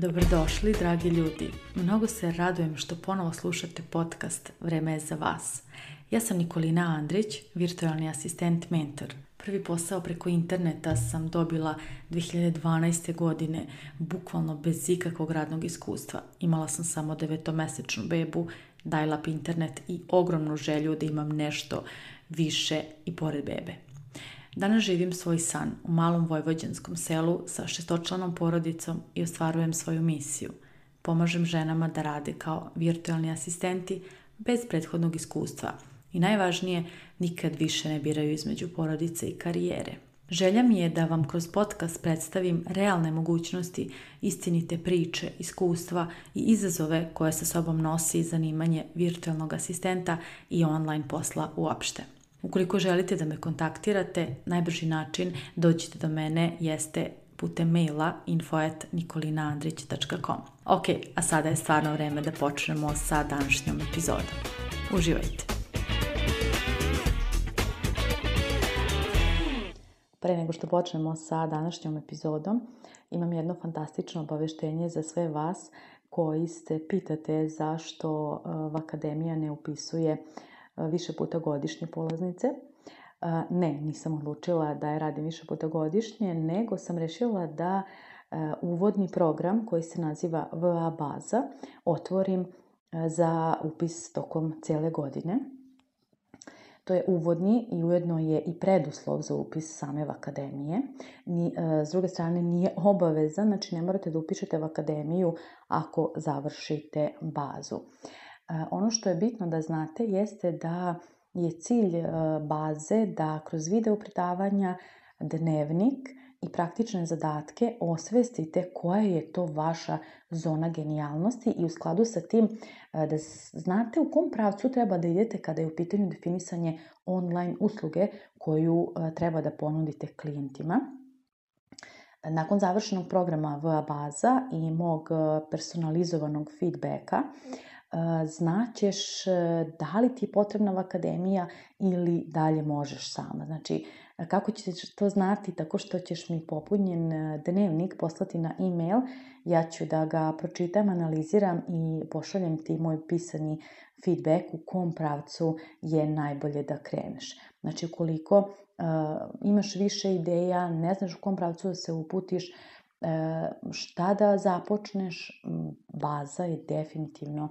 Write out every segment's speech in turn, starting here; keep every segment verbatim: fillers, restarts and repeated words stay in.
Dobrodošli, dragi ljudi. Mnogo se radujem što ponovo slušate podcast Vreme je za vas. Ja sam Nikolina Andrić, virtualni asistent mentor. Prvi posao preko interneta sam dobila dve hiljade dvanaeste. godine, bukvalno bez ikakvog radnog iskustva. Imala sam samo devetomesečnu bebu, dial-up internet i ogromnu želju da imam nešto više i pored bebe. Danas živim svoj san u malom vojvođanskom selu sa šestočlanom porodicom i ostvarujem svoju misiju. Pomažem ženama da rade kao virtualni asistenti bez prethodnog iskustva i najvažnije, nikad više ne biraju između porodice i karijere. Želja mi je da vam kroz podcast predstavim realne mogućnosti, istinite priče, iskustva i izazove koje sa sobom nosi zanimanje virtualnog asistenta i online posla uopšte. Ukoliko želite da me kontaktirate, najbrži način dođite do mene jeste putem maila info at nikolinaandrić tačka com. Ok, a sada je stvarno vreme da počnemo sa današnjom epizodom. Uživajte! Pre nego što počnemo sa današnjom epizodom, imam jedno fantastično obaveštenje za sve vas koji se pitate zašto Vakademija ne upisuje više puta godišnje polaznice. Ne, nisam odlučila da je radim više puta godišnje, nego sam rešila da uvodni program koji se naziva V A baza otvorim za upis tokom cele godine. To je uvodni i ujedno je i preduslov za upis same Vakademije. S druge strane, nije obavezan, znači ne morate da upišete Vakademiju ako završite bazu. Ono što je bitno da znate jeste da je cilj baze da kroz video predavanja, dnevnik i praktične zadatke osvestite koja je to vaša zona genijalnosti i u skladu sa tim da znate u kom pravcu treba da idete kada je u pitanju definisanje online usluge koju treba da ponudite klijentima. Nakon završenog programa V A baza i mog personalizovanog feedbacka, znaćeš da li ti je potrebna Vakademija ili dalje možeš sama. Znači, kako ćeš to znati? Tako što ćeš mi popunjen dnevnik poslati na e-mail, ja ću da ga pročitam, analiziram i pošaljem ti moj pisani feedback u kom pravcu je najbolje da kreneš. Znači, ukoliko uh, imaš više ideja, ne znaš u kom pravcu da se uputiš, šta da započneš, baza je definitivno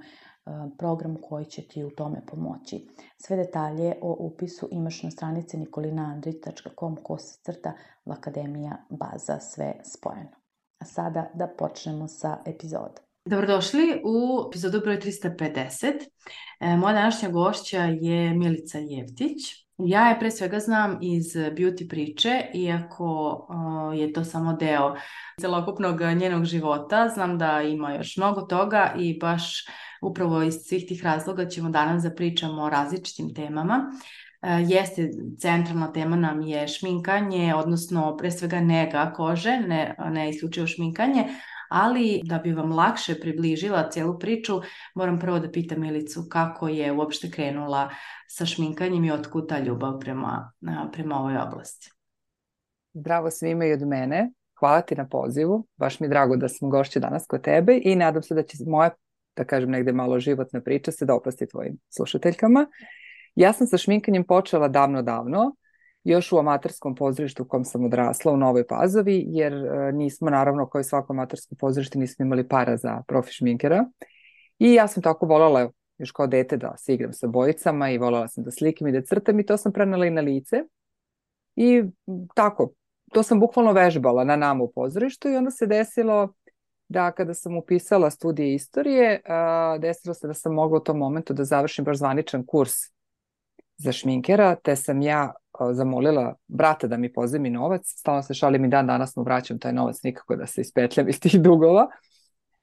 program koji će ti u tome pomoći. Sve detalje o upisu imaš na stranici nikolinaandrić tačka com kosacrta Vakademija baza, sve spojeno. A sada da počnemo sa epizodom. Dobrodošli u epizodu broj trista pedeset. Moja današnja gošća je Milica Jevtić. Ja je pre svega znam iz beauty priče, iako je to samo deo celokupnog njenog života. Znam da ima još mnogo toga i baš upravo iz svih tih razloga ćemo danas da pričamo o različitim temama. Jeste, centralna tema nam je šminkanje, odnosno pre svega nega kože, ne, ne isključivo šminkanje, ali da bi vam lakše približila cijelu priču, moram prvo da pitam Milicu kako je uopšte krenula sa šminkanjem i otkud ta ljubav prema, prema ovoj oblasti. Zdravo svima i od mene. Hvala ti na pozivu. Baš mi je drago da sam gošća danas kod tebe i nadam se da će moja, da kažem negde malo životna priča se dopasti tvojim slušateljkama. Ja sam sa šminkanjem počela davno, davno, još u amaterskom pozorištu u kom sam odrasla u Novoj Pazovi, jer nismo, naravno, kao i svako amatersko pozorište, nismo imali para za profi šminkera. I ja sam tako voljela još kao dete da se igram sa bojicama i voljela sam da slikam i da crtam i to sam prenela i na lice. I tako, to sam bukvalno vežbala na nama u pozorištu i onda se desilo da kada sam upisala studije istorije, desilo se da sam mogla u tom momentu da završim baš zvaničan kurs za šminkera, te sam ja zamolila brata da mi pozajmi novac. Stalno se šalim i dan danas mu vraćam taj novac, nikako da se ispetljam iz tih dugova,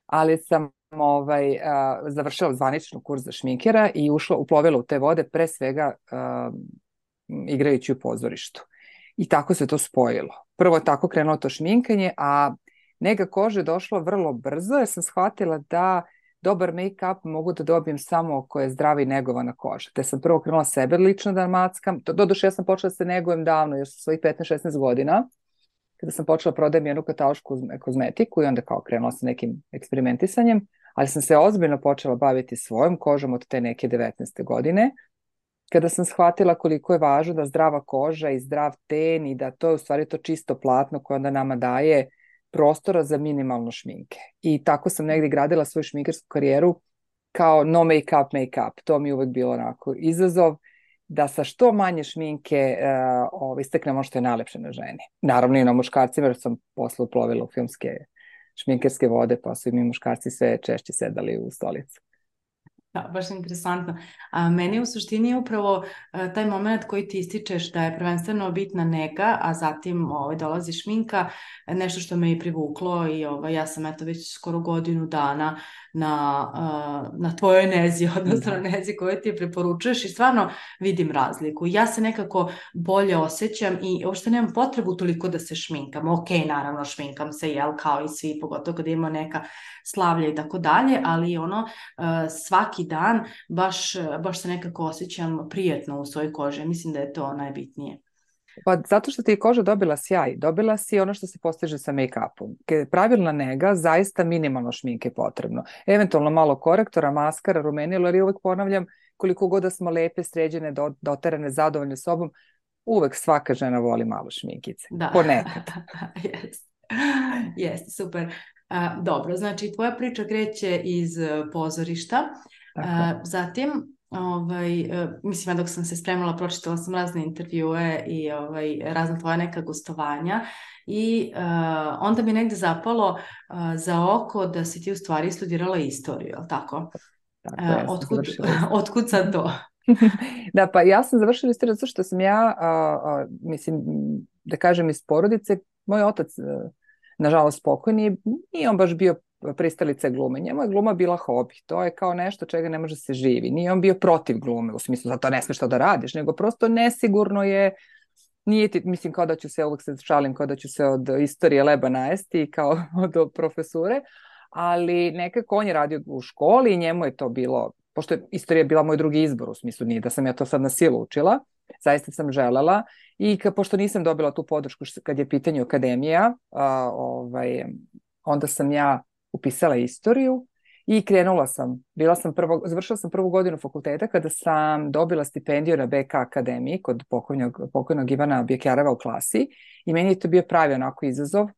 ali sam ovaj, a, završila zvaničnu kurs za šminkera i ušla, uplovila u te vode pre svega a, igrajući u pozorištu. I tako se to spojilo. Prvo je tako krenulo to šminkanje, a nega kože je došlo vrlo brzo jer sam shvatila da dobar make-up mogu da dobijem samo ako je zdrava i negovana koža. Te sam prvo krenula sebe lično da mackam. Doduše ja sam počela da se negujem davno, još sa svojih petnaest šesnaest godina. kada sam počela prodajem jednu katalošku kozmetiku i onda kao krenula sa nekim eksperimentisanjem, ali sam se ozbiljno počela baviti svojom kožom od te neke devetnaeste godine, kada sam shvatila koliko je važno da zdrava koža i zdrav ten i da to je u stvari to čisto platno koje onda nama daje prostora za minimalno šminke. I tako sam negdje gradila svoju šminkersku karijeru kao no make up, make up. To mi je uvek bilo onako izazov da sa što manje šminke uh, ovo, isteknemo što je najlepše na ženi. Naravno i na muškarcima, jer sam posle uplovila u filmske šminkerske vode, pa su i mi muškarci sve češće sedali u stolicu. Da, baš interesantno. A meni u suštini je upravo a, taj moment koji ti ističeš da je prvenstveno bitna nega, a zatim ovaj, dolazi šminka, nešto što me i privuklo i ovaj, ja sam eto već skoro godinu dana na, a, na tvojoj nezi, odnosno na nezi koju ti preporučuješ i stvarno vidim razliku. Ja se nekako bolje osjećam i uopšte nemam potrebu toliko da se šminkam. Ok, naravno šminkam se, jel, kao i svi, pogotovo kad ima neka slavlja i tako dalje, ali ono a, svaki dan baš, baš se nekako osjećam prijatno u svojoj koži. Mislim da je to najbitnije. Pa zato što ti je koža dobila sjaj, dobila si ono što se postiže sa make-upom. Pravilna nega, zaista minimalno šminke potrebno. Eventualno malo korektora, maskara, rumenilo, jer ja uvek ponavljam, koliko god da smo lepe, sređene, doterane, zadovoljne sobom, uvek svaka žena voli malo šminkice. Da. Ponekad. Jeste, Jest, super. A, dobro, znači tvoja priča kreće iz pozorišta. A, zatim, ovaj, mislim, ja dok sam se spremala, pročitala sam razne intervjue i ovaj, razna tvoja neka gostovanja i uh, onda mi je negde zapalo uh, za oko da si ti u stvari studirala istoriju, je li tako? Tako je, uh, otkud, otkud sad to? Da, pa ja sam završila istoriju zato što sam ja, a, a, mislim, da kažem iz porodice, moj otac, a, nažalost pokojni, nije on baš bio pristalice glume. Njemu je gluma bila hobi. To je kao nešto čega ne može se živi. Nije on bio protiv glume, u smislu zato ne smiješ to da radiš, nego prosto nesigurno je, nije ti, mislim kao da ću se, uvijek se šalim, kao da ću se od istorije leba najesti, kao od profesure, ali nekako on je radio u školi i njemu je to bilo, pošto je istorija bila moj drugi izbor, u smislu nije da sam ja to sad na silu učila, zaista sam želela i ka, pošto nisam dobila tu podršku kad je pitanje akademija, a, ovaj, onda sam ja upisala istoriju i krenula sam. Bila sam prvo, završila sam prvu godinu fakulteta kada sam dobila stipendiju na B K akademiji kod pokojnog, pokojnog Ivana Bjekjareva u klasi i meni je to bio pravi onako izazov.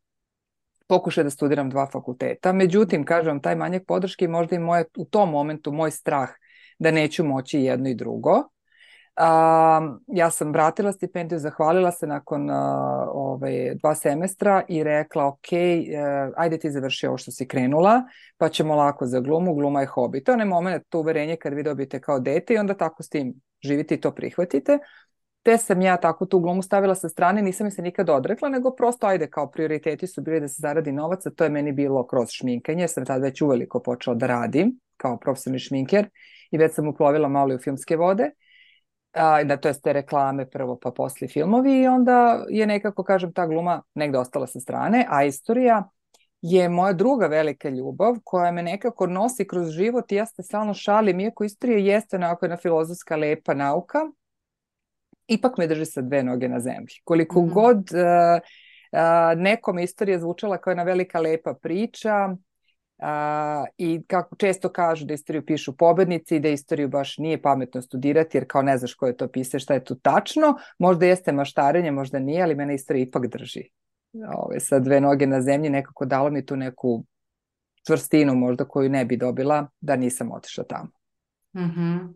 Pokušaj da studiram dva fakulteta. Međutim, kažem, taj manjak podrške i možda i moje, u tom momentu moj strah da neću moći jedno i drugo. Uh, ja sam vratila stipendiju, zahvalila se nakon uh, ovaj, dva semestra i rekla ok, uh, ajde ti završi ovo što si krenula, pa ćemo lako za glumu, gluma je hobi. To je onaj moment, to uverenje kad vi dobijete kao dete i onda tako s tim živite i to prihvatite. Te sam ja tako tu glumu stavila sa strane, nisam mi se nikad odrekla, nego prosto ajde kao prioriteti su bili da se zaradi novac, a to je meni bilo kroz šminkanje, jer sam tad već uveliko počela da radim kao profesionalni šminker i već sam uplovila malo i u filmske vode. A, da, to je te reklame prvo pa posle filmovi i onda je nekako, kažem, ta gluma negde ostala sa strane, a istorija je moja druga velika ljubav koja me nekako nosi kroz život i ja se stalno šalim, iako istorija jeste onako jedna filozofska lepa nauka, ipak me drži sa dve noge na zemlji. Koliko mm-hmm. god uh, uh, nekom istorija zvučala kao jedna velika lepa priča, Uh, i kako često kažu da istoriju pišu pobednici i da istoriju baš nije pametno studirati jer kao ne znaš ko je to pisao, šta je tu tačno, možda jeste maštarenje, možda nije, ali mene istorija ipak drži. Ove, sa dve noge na zemlji nekako dalo mi tu neku čvrstinu možda koju ne bi dobila da nisam otišla tamo. Mm-hmm.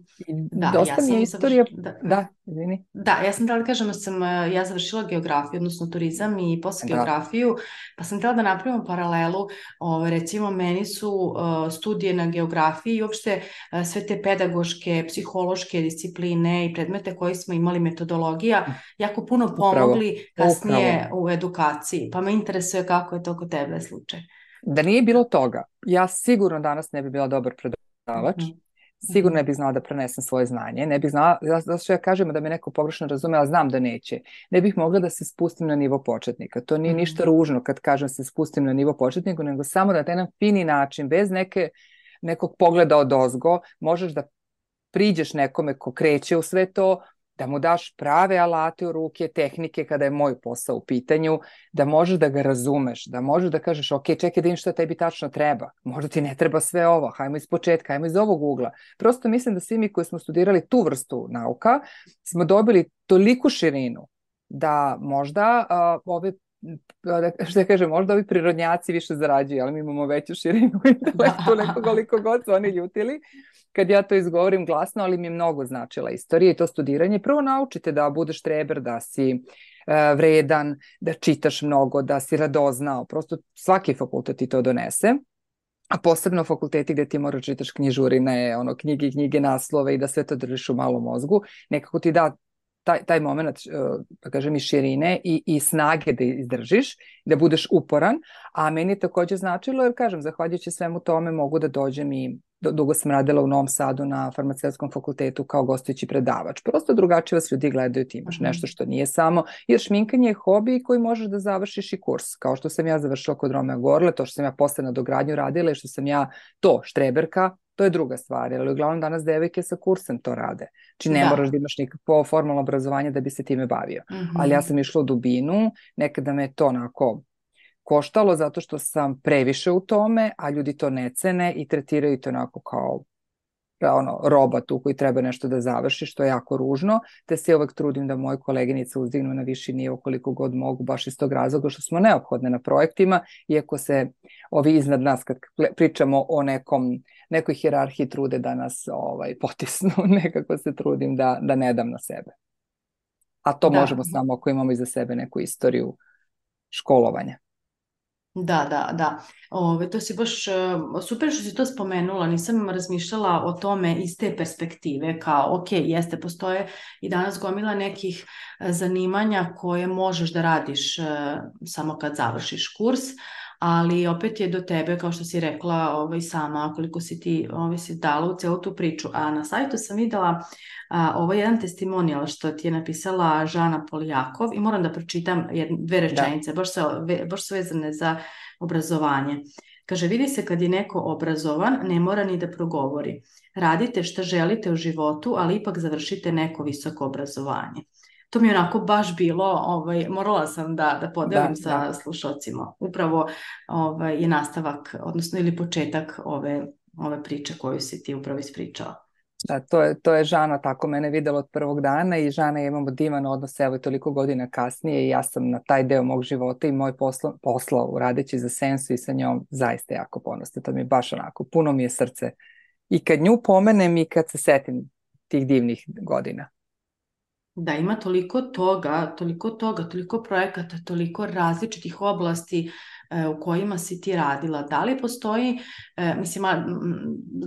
Da, dosta ja mi je istorija... Završ... Da, da, izvini. Da, ja sam htjela da kažem da sam ja završila geografiju, odnosno turizam i posle da. geografiju, pa sam htjela da napravimo paralelu, ove, recimo meni su uh, studije na geografiji i uopšte uh, sve te pedagoške, psihološke discipline i predmete koje smo imali, metodologija, jako puno pomogli Upravo. kasnije Upravo. u edukaciji, pa me interesuje kako je to kod tebe slučaj. Da nije bilo toga, ja sigurno danas ne bi bila dobar predavač, mm-hmm. Sigurno ne bih znala da prenesem svoje znanje, ne bih znala, zato što ja kažem da me neko pogrešno razume, ali znam da neće. Ne bih mogla da se spustim na nivo početnika. To nije ništa ružno kad kažem se spustim na nivo početnika, nego samo da na jedan fini način, bez neke, nekog pogleda od ozgo, možeš da priđeš nekome ko kreće u sve to da mu daš prave alate u ruke, tehnike kada je moj posao u pitanju, da možeš da ga razumeš, da možeš da kažeš, ok, čekaj da im šta tebi tačno treba, možda ti ne treba sve ovo, hajmo iz početka, hajmo iz ovog ugla. Prosto mislim da svi mi koji smo studirali tu vrstu nauka smo dobili toliku širinu da možda uh, ove što ja kažem, možda ovi prirodnjaci više zarađuju, ali mi imamo veću širinu intelektu nego koliko god su oni ljutili kad ja to izgovorim glasno, ali mi je mnogo značila istorija i to studiranje. Prvo naučite da budeš treber, da si uh, vredan, da čitaš mnogo, da si radoznao. Prosto svaki fakultet ti to donese. A posebno fakulteti gde ti moraš čitaš knjižurine, ono, knjige, knjige, naslove i da sve to držiš u malom mozgu. Nekako ti da taj, taj moment, da kažem, i širine i, i snage da izdržiš, da budeš uporan, a meni je takođe značilo, jer kažem, zahvaljujući svemu tome mogu da dođem i dugo sam radila u Novom Sadu na farmaceutskom fakultetu kao gostujući predavač. Prosto drugačije vas ljudi gledaju, ti imaš nešto što nije samo, jer šminkanje je hobi koji možeš da završiš i kurs, kao što sam ja završila kod Romea Gorle, to što sam ja posle na dogradnju radila i što sam ja to, štreberka, to je druga stvar, ali uglavnom danas devojke sa kursem to rade. Znači ne da. moraš da imaš nikakvo formalno obrazovanje da bi se time bavio. Mm-hmm. Ali ja sam išla u dubinu, nekada me to onako koštalo zato što sam previše u tome, a ljudi to ne cene i tretiraju to onako kao ono, roba tu koji treba nešto da završi, što je jako ružno, te se uvek trudim da moje koleginice uzdignu na viši nivo koliko god mogu, baš iz tog razloga što smo neophodne na projektima, iako se ovi iznad nas, kad pričamo o nekom, nekoj hijerarhiji, trude da nas ovaj, potisnu, nekako se trudim da, da ne dam na sebe. A to da. možemo samo ako imamo iza sebe neku istoriju školovanja. Da, da, da. Ove, to si baš super što si to spomenula, nisam razmišljala o tome iz te perspektive, kao ok, jeste, postoje i danas gomila nekih zanimanja koje možeš da radiš samo kad završiš kurs, ali opet je do tebe, kao što si rekla ovaj, sama, koliko si ti ovaj, si dala u celu tu priču. A na sajtu sam videla a, ovo je jedan testimonijal što ti je napisala Žana Poljakov i moram da pročitam jedne, dve rečenice, baš, se, baš su vezane za obrazovanje. Kaže, vidi se kad je neko obrazovan, ne mora ni da progovori. Radite šta želite u životu, ali ipak završite neko visoko obrazovanje. To mi je onako baš bilo, ovaj, morala sam da, da podelim da, sa da. slušalcima. Upravo ovaj, je nastavak, odnosno ili početak ove, ove priče koju si ti upravo ispričala. Da, to je, to je Žana tako mene videla od prvog dana i Žana i imamo divan odnos, evo toliko godina kasnije i ja sam na taj deo mog života i moj posla, posla radeći za Sensu i sa njom zaista jako ponosna. To mi je baš onako, puno mi je srce. I kad nju pomenem i kad se setim tih divnih godina. Da, ima toliko toga, toliko toga, toliko projekata, toliko različitih oblasti e, u kojima si ti radila. Da li postoji, e, mislim,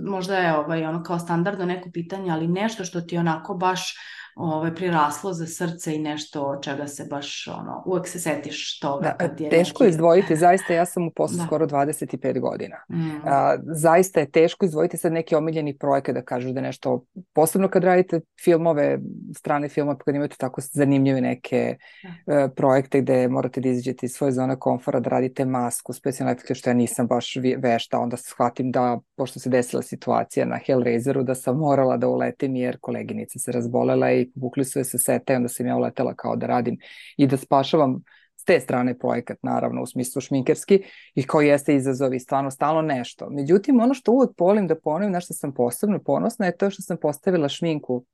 možda je ovaj, ono kao standardno neko pitanje, ali nešto što ti onako baš ovaj, priraslo za srce i nešto od čega se baš, ono, uvek se setiš toga. Da, kad je teško neki... izdvojiti, zaista ja sam u poslu da. skoro dvadeset pet godina. Mm. A, zaista je teško izdvojiti sad neki omiljeni projekat da kažeš da nešto, posebno kad radite filmove, strane filmove, kad imate tako zanimljive neke da. uh, projekte gde morate da izađete iz svoje zone komfora, da radite masku, specijalne efekte, što ja nisam baš vešta, onda shvatim da, pošto se desila situacija na Hellraiseru, da sam morala da uletim jer koleginica se razbolela i povukli su je sa seta i onda sam ja uletela kao da radim i da spašavam s te strane projekat, naravno, u smislu šminkerski i kao jeste izazov i stvarno stalno nešto. Međutim, ono što uvek volim da ponovim, na što sam posebno ponosna, je to što sam postavila šminku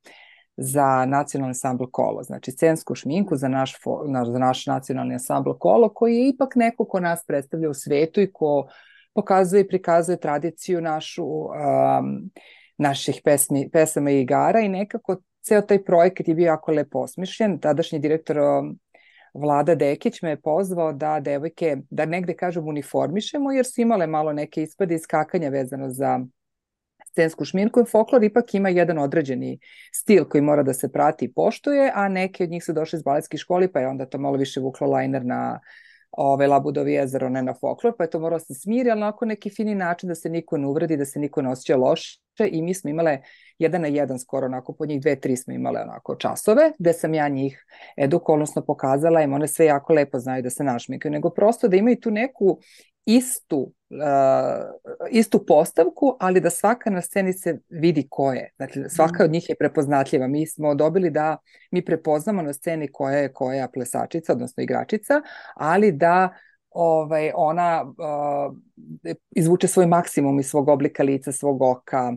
za nacionalni ansambl Kolo, znači scensku šminku za naš, za naš nacionalni ansambl Kolo, koji je ipak neko ko nas predstavlja u svetu i ko pokazuje i prikazuje tradiciju našu, um, naših pesmi, pesama i igara i nekako ceo taj projekat je bio jako lepo osmišljen. Tadašnji direktor Vlada Dekić me je pozvao da devojke, da negde kažem uniformišemo, jer su imale malo neke ispade iskakanja vezano za scensku šminku i folklor ipak ima jedan određeni stil koji mora da se prati i poštuje, a neke od njih su došli iz baletskih školi, pa je onda to malo više vuklo lajner na ove Labudovi jezero, ne na folklor, pa je to moralo se smiri, ali onako neki fini način da se niko ne uvredi, da se niko ne osjeća loše i mi smo imale jedan na jedan skoro, onako po njih dve, tri smo imale onako časove, gde sam ja njih edukolnosno pokazala im, one sve jako lepo znaju da se našmikaju, nego prosto da imaju tu neku istu istu postavku, ali da svaka na sceni se vidi ko je. Znači, svaka od njih je prepoznatljiva. Mi smo dobili da mi prepoznamo na sceni koja je koja plesačica, odnosno igračica, ali da ovaj, ona uh, izvuče svoj maksimum iz svog oblika lica, svog oka,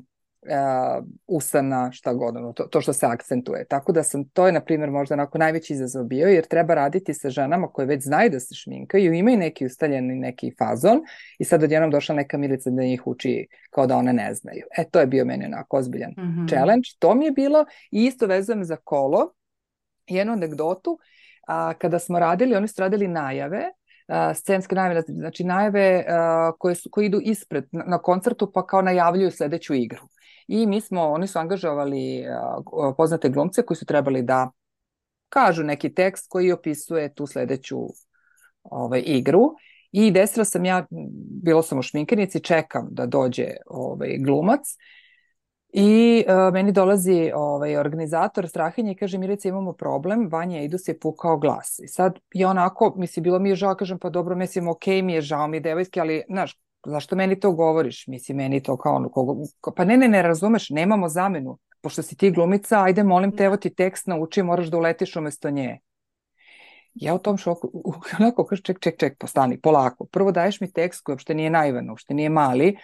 Uh, usana, šta god, ono, to, to što se akcentuje. Tako da sam, to je, na primjer, možda onako najveći izazov bio, jer treba raditi sa ženama koje već znaju da se šminkaju, imaju neki ustaljeni neki fazon i sad odjednom došla neka Milica da njih uči kao da one ne znaju. E, to je bio meni onako ozbiljan mm-hmm. challenge. To mi je bilo i isto vezujem za kolo. Jednu anegdotu, a, kada smo radili, oni su radili najave, Uh, scenske najave, znači najave uh, koje, su, koje idu ispred na, na koncertu pa kao najavljuju sledeću igru. I mi smo, oni su angažovali uh, poznate glumce koji su trebali da kažu neki tekst koji opisuje tu sledeću ovaj, igru. I desila sam ja, bilo sam u šminkanici, čekam da dođe ovaj, glumac. I uh, meni dolazi ovaj, organizator Strahinje i kaže, Milica, imamo problem, Vanja Ejdus je pukao glas. I sad je onako, mislim, bilo mi je žao, kažem, pa dobro, mislim, ok, mi je žao mi devojske, ali, znaš, zašto meni to govoriš? Mislim, meni to kao ono, kogo, pa ne, ne, ne razumeš, nemamo zamenu. Pošto si ti glumica, ajde, molim te, evo ti tekst nauči, moraš da uletiš umesto nje. Ja u tom šoku, onako, kaže, ček, ček, ček, postani, polako. Prvo daješ mi tekst koji uopšte nije naivan, uopšte nije mali,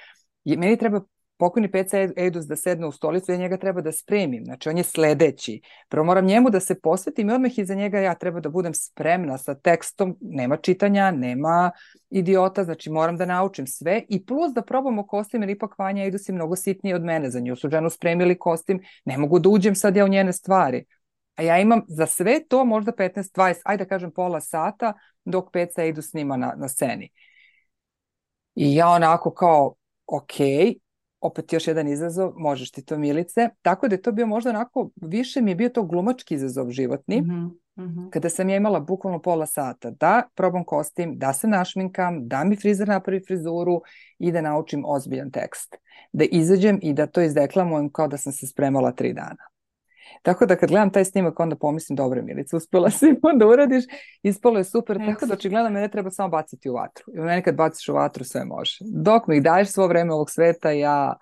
i meni treba pokojni Peca Ejdus da sedne u stolicu, ja njega treba da spremim, znači on je sledeći. Prvo moram njemu da se posvetim i odmah iza njega ja treba da budem spremna sa tekstom, nema čitanja, nema idiota, znači moram da naučim sve i plus da probamo kostim, jer ipak Vanja Ejdus je mnogo sitniji od mene, za nju su ženu spremili kostim, ne mogu da uđem sad ja u njene stvari. A ja imam za sve to možda petnaest dvadeset, ajde da kažem pola sata, dok Peca Ejdus snima na, na sceni. I ja onako kao, okej, opet još jedan izazov, možeš ti to, Milice. Tako da je to bio možda onako, više mi je bio to glumački izazov životni, mm-hmm, mm-hmm. kada sam ja imala bukvalno pola sata da probam kostim, da se našminkam, da mi frizer napravi frizuru i da naučim ozbiljan tekst. Da izađem i da to izdeklamujem kao da sam se spremala tri dana. Tako da kad gledam taj snimak, onda pomislim, dobro, Milica, uspela si onda uradiš, ispalo je super, Eks. Tako da očigledno mene treba samo baciti u vatru. I mene kad baciš u vatru, sve može. Dok mi daješ svo vreme ovog sveta, ja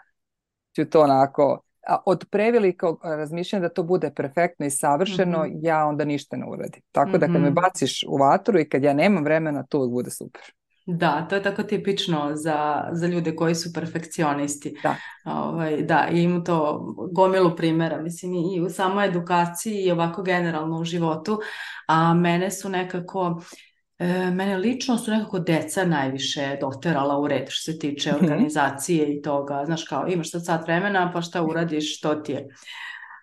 ću to onako, a od prevelikog razmišljanja da to bude perfektno i savršeno, mm-hmm. ja onda ništa ne uradim. Tako da kad me baciš u vatru i kad ja nemam vremena, to uvijek bude super. Da, to je tako tipično za, za ljude koji su perfekcionisti. Da. Ovaj, da, i imam to gomilu primjera, mislim, i u samoj edukaciji i ovako generalno u životu, a mene su nekako, e, mene lično su nekako deca najviše doterala u red što se tiče organizacije mm-hmm. i toga, znaš kao, imaš sad sat vremena, pa šta uradiš, što ti je.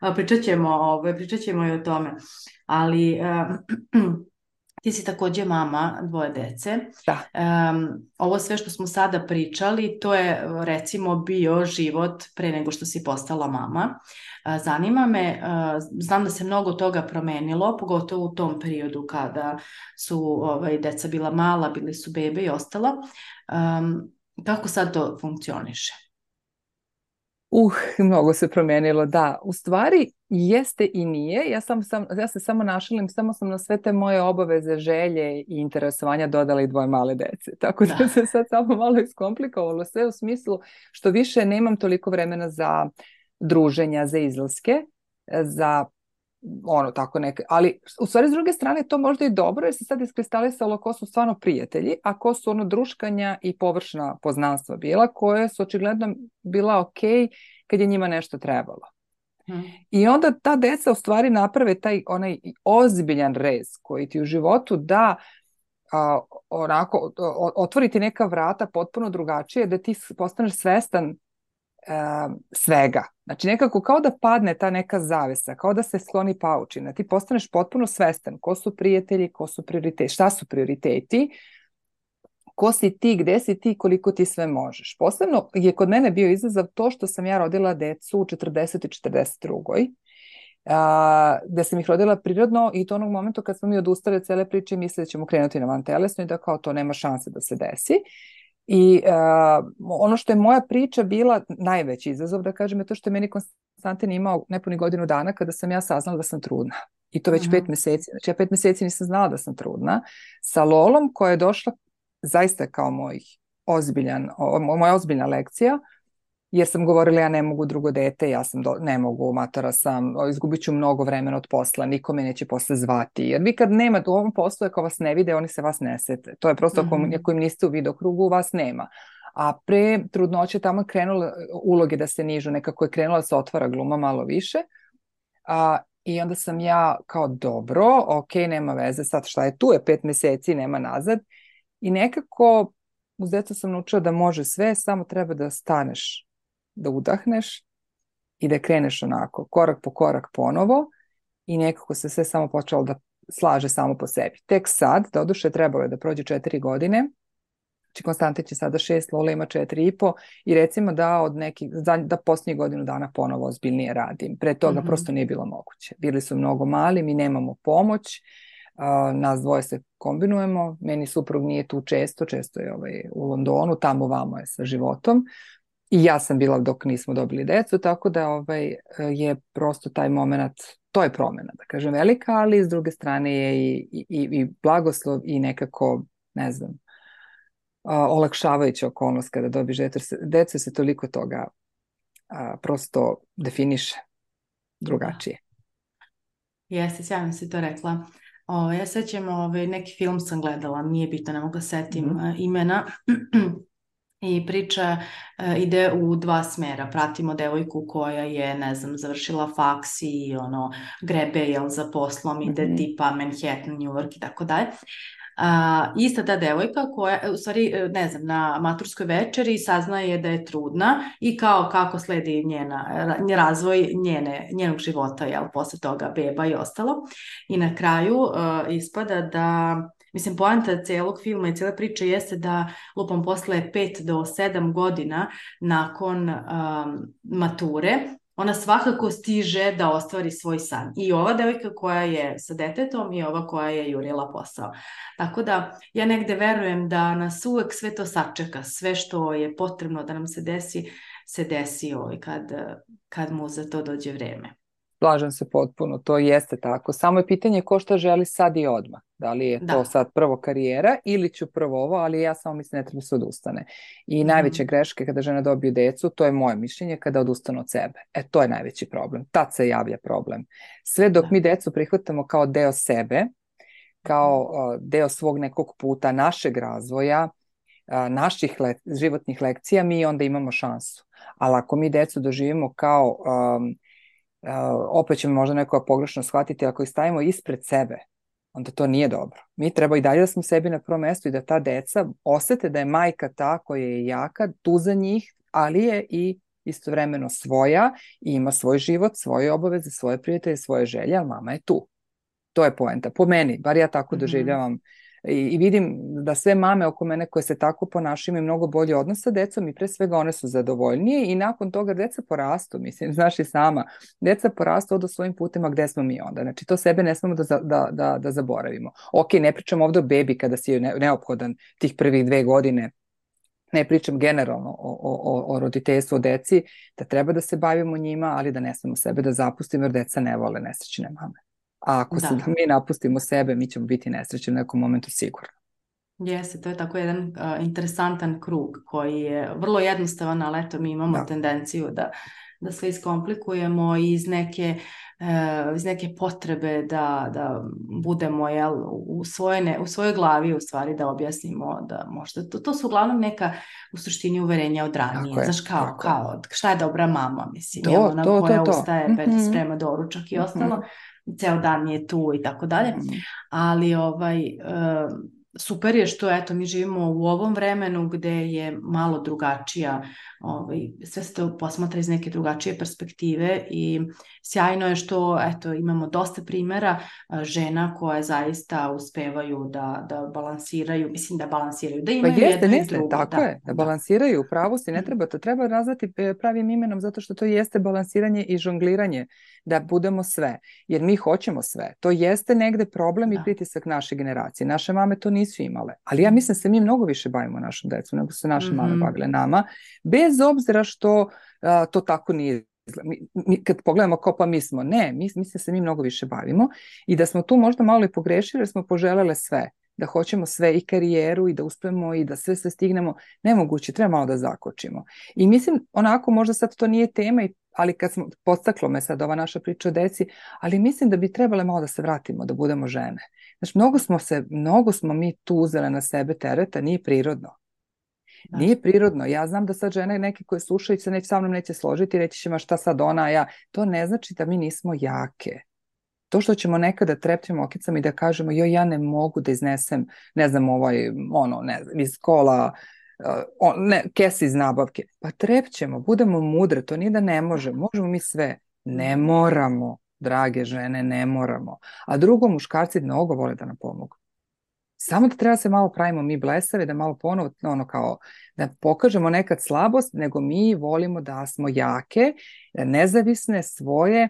A, pričat ćemo, ovaj, pričat ćemo i o tome, ali... E, ti si također mama dvoje dece. Da. Um, ovo sve što smo sada pričali, to je recimo bio život pre nego što si postala mama. Uh, zanima me, uh, znam da se mnogo toga promenilo, pogotovo u tom periodu kada su ovaj, deca bila mala, bili su bebe i ostalo. Um, kako sad to funkcioniše? Uh, mnogo se promijenilo, da. U stvari jeste i nije. Ja, sam, sam, ja se samo našalim, samo sam na sve te moje obaveze, želje i interesovanja dodala i dvoje male dece. Tako da, da se sad samo malo iskomplikovalo sve u smislu što više nemam toliko vremena za druženja, za izlaske, za ono tako neke, ali u stvari s druge strane to možda i dobro jer se sad iskristalisalo ko su stvarno prijatelji, a ko su ono druškanja i površna poznanstva bila koje su očigledno bila ok kad je njima nešto trebalo. Hmm. I onda ta deca u stvari naprave taj onaj ozbiljan rez koji ti u životu da a, onako otvoriti neka vrata potpuno drugačije da ti postaneš svestan Uh, svega. Znači nekako kao da padne ta neka zavesa, kao da se skloni paučina. Ti postaneš potpuno svestan ko su prijatelji, ko su prioriteti, šta su prioriteti, ko si ti, gde si ti, koliko ti sve možeš. Posebno je kod mene bio izazov to što sam ja rodila decu u četrdeset i četrdeset drugoj Uh, da sam ih rodila prirodno i to onog momentu kad smo mi odustali od cele priče i mislili da ćemo krenuti na vantelesno i da kao to nema šanse da se desi. I uh, ono što je moja priča bila najveći izazov, da kažem, je to što je meni Konstantin imao nepuni godinu dana kada sam ja saznala da sam trudna. I to već uh-huh. pet meseci. Znači ja pet meseci nisam znala da sam trudna. Sa Lolom koja je došla zaista kao moj ozbiljan, o, moja ozbiljna lekcija, jer sam govorila ja ne mogu drugo dete, ja sam do, ne mogu, matora sam, izgubit ću mnogo vremena od posla, niko me neće posle zvati. Jer vi kad nemate u ovom poslu, ako vas ne vide, oni se vas ne sete. To je prosto ako, Mhm. ako im niste u vidokrugu, vas nema. A pre trudnoće tamo je krenula uloge da se nižu, nekako je krenula da se otvara gluma malo više. A, I onda sam ja kao dobro, ok, nema veze, sad šta je tu, je pet meseci, nema nazad. I nekako uz decu sam naučila da može sve, samo treba da staneš, da udahneš i da kreneš onako, korak po korak ponovo i nekako se sve samo počelo da slaže samo po sebi. Tek sad, doduše trebalo je da prođe četiri godine, znači Konstantin će sada šest, Lola ima četiri i po i recimo da od nekih, da posljednjih godinu dana ponovo ozbiljnije radim. Pre toga Mhm. prosto nije bilo moguće. Bili su mnogo mali, mi nemamo pomoć, uh, nas dvoje se kombinujemo, meni suprug nije tu često, često je ovaj, u Londonu, tamo vamo je sa životom. I ja sam bila dok nismo dobili decu, tako da ovaj, je prosto taj moment, to je promjena, da kažem, velika, ali s druge strane je i, i, i blagoslov i nekako, ne znam, a, olakšavajuća okolnost kada dobiješ decu, decu se toliko toga a, prosto definiše drugačije. Jeste, sjajno si to rekla. O, ja sećam, ovaj, neki film sam gledala, nije bitno, ne mogu da setim Mhm. uh, imena. I priča uh, ide u dva smera. Pratimo devojku koja je, ne znam, završila faks i ono, grebe jel, za poslom, ide Mhm. tipa Manhattan, New York i tako dalje. A, ista ta devojka koja, u stvari, ne znam, na maturskoj večeri saznaje da je trudna i kao kako sledi njena, razvoj njene, njenog života, jel, posle toga beba i ostalo. I na kraju uh, ispada da, mislim, poanta celog filma i cijela priča jeste da lupom posle pet do sedam godina nakon um, mature, ona svakako stiže da ostvari svoj san. I ova devojka koja je sa detetom i ova koja je jurila posao. Tako da ja negde verujem da nas uvek sve to sačeka, sve što je potrebno da nam se desi, se desi ovaj kad, kad mu za to dođe vreme. Slažem se potpuno, to jeste tako. Samo je pitanje ko šta želi sad i odmah. Da li je to Da. sad prvo karijera ili ću prvo ovo, ali ja samo mislim ne treba se odustane. I Mhm. najveće greške kada žena dobije decu, to je moje mišljenje, kada odustanu od sebe. E, to je najveći problem. Tad se javlja problem. Sve dok Da. mi decu prihvatamo kao deo sebe, kao uh, deo svog nekog puta, našeg razvoja, uh, naših le životnih lekcija, mi onda imamo šansu. Ali ako mi decu doživimo kao... Um, Uh, opet će možda neko pogrešno shvatiti, ako ih stavimo ispred sebe, onda to nije dobro. Mi treba i dalje da smo sebi na prvom mestu i da ta deca osete da je majka ta koja je jaka, tu za njih, ali je i istovremeno svoja i ima svoj život, svoje obaveze, svoje prijatelje, svoje želje, ali mama je tu. To je poenta. Po meni, bar ja tako Mhm. doživljavam. I, I vidim da sve mame oko mene koje se tako ponašaju imaju mnogo bolji odnos sa decom i pre svega one su zadovoljnije i nakon toga deca porastu, mislim, znaš i sama, deca porastu odu svojim putima gde smo mi onda. Znači to sebe ne smemo da, da, da, da zaboravimo. Ok, ne pričam ovdje o bebi kada si ne, neophodan tih prvih dve godine, ne pričam generalno o, o, o roditeljstvu, o deci, da treba da se bavimo njima, ali da ne smemo sebe da zapustimo jer deca ne vole nesrećne mame. A ako se Da. da mi napustimo sebe, mi ćemo biti nesrećni u nekom momentu sigurno. Jeste, to je tako jedan uh, interesantan krug koji je vrlo jednostavan, ali eto mi imamo Da. tendenciju da, da sve iskomplikujemo iz neke, uh, iz neke potrebe da, da budemo jel, u, svoje ne, u svojoj glavi u stvari da objasnimo da možda to, to su uglavnom neka u suštini uverenja od ranije. Tako je, Znaš kao, tako je. kao šta je dobra mama, mislim, To, jel ona to, koja to, to. ustaje, Mm-hmm. sprema doručak i ostalo, Mm-hmm. ceo dan je tu i tako dalje, Mm-hmm. ali ovaj... Uh, super je što eto mi živimo u ovom vremenu gde je malo drugačija, ovaj, sve se to posmatra iz neke drugačije perspektive i sjajno je što eto imamo dosta primjera žena koje zaista uspevaju da, da balansiraju, mislim da balansiraju, da imaju Pa jeste, jedno i jeste, drugo. tako Da, je, da da. balansiraju, u pravu si, ne treba, to treba nazvati pravim imenom zato što to jeste balansiranje i žongliranje, da budemo sve, jer mi hoćemo sve. To jeste negde problem i Da. pritisak naše generacije. Naše mame to nisu imale, ali ja mislim da se mi mnogo više bavimo našom decu nego su naše Mhm. mame bavile nama, bez obzira što a, to tako nije. Mi, mi, kad pogledamo kao pa mi smo, ne, mi, mislim da se mi mnogo više bavimo i da smo tu možda malo i pogrešili jer smo poželele sve. da hoćemo sve i karijeru i da uspemo i da sve sve stignemo, nemoguće, treba malo da zakočimo. I mislim, onako, možda sad to nije tema, ali kad smo, podstaklo me sad ova naša priča o deci, ali mislim da bi trebale malo da se vratimo, da budemo žene. Znači, mnogo smo se, mnogo smo mi tu uzele na sebe tereta, nije prirodno. Da. Nije prirodno. Ja znam da sad žene neke koje slušaju se neće, sa mnom neće složiti, reći će ma šta sad ona, a ja. To ne znači da mi nismo jake. To što ćemo nekada trepćemo okicama i da kažemo joj, ja ne mogu da iznesem, ne znam, ovaj, ono, ne znam, iz kola, uh, on, ne, kese iz nabavke. Pa trepćemo, budemo mudre, to nije da ne možemo, možemo mi sve. Ne moramo, drage žene, ne moramo. A drugo, muškarci mnogo vole da nam pomogu. Samo da treba se malo pravimo mi blesavi, da malo ponovo, ono kao, da pokažemo nekad slabost, nego mi volimo da smo jake, nezavisne, svoje,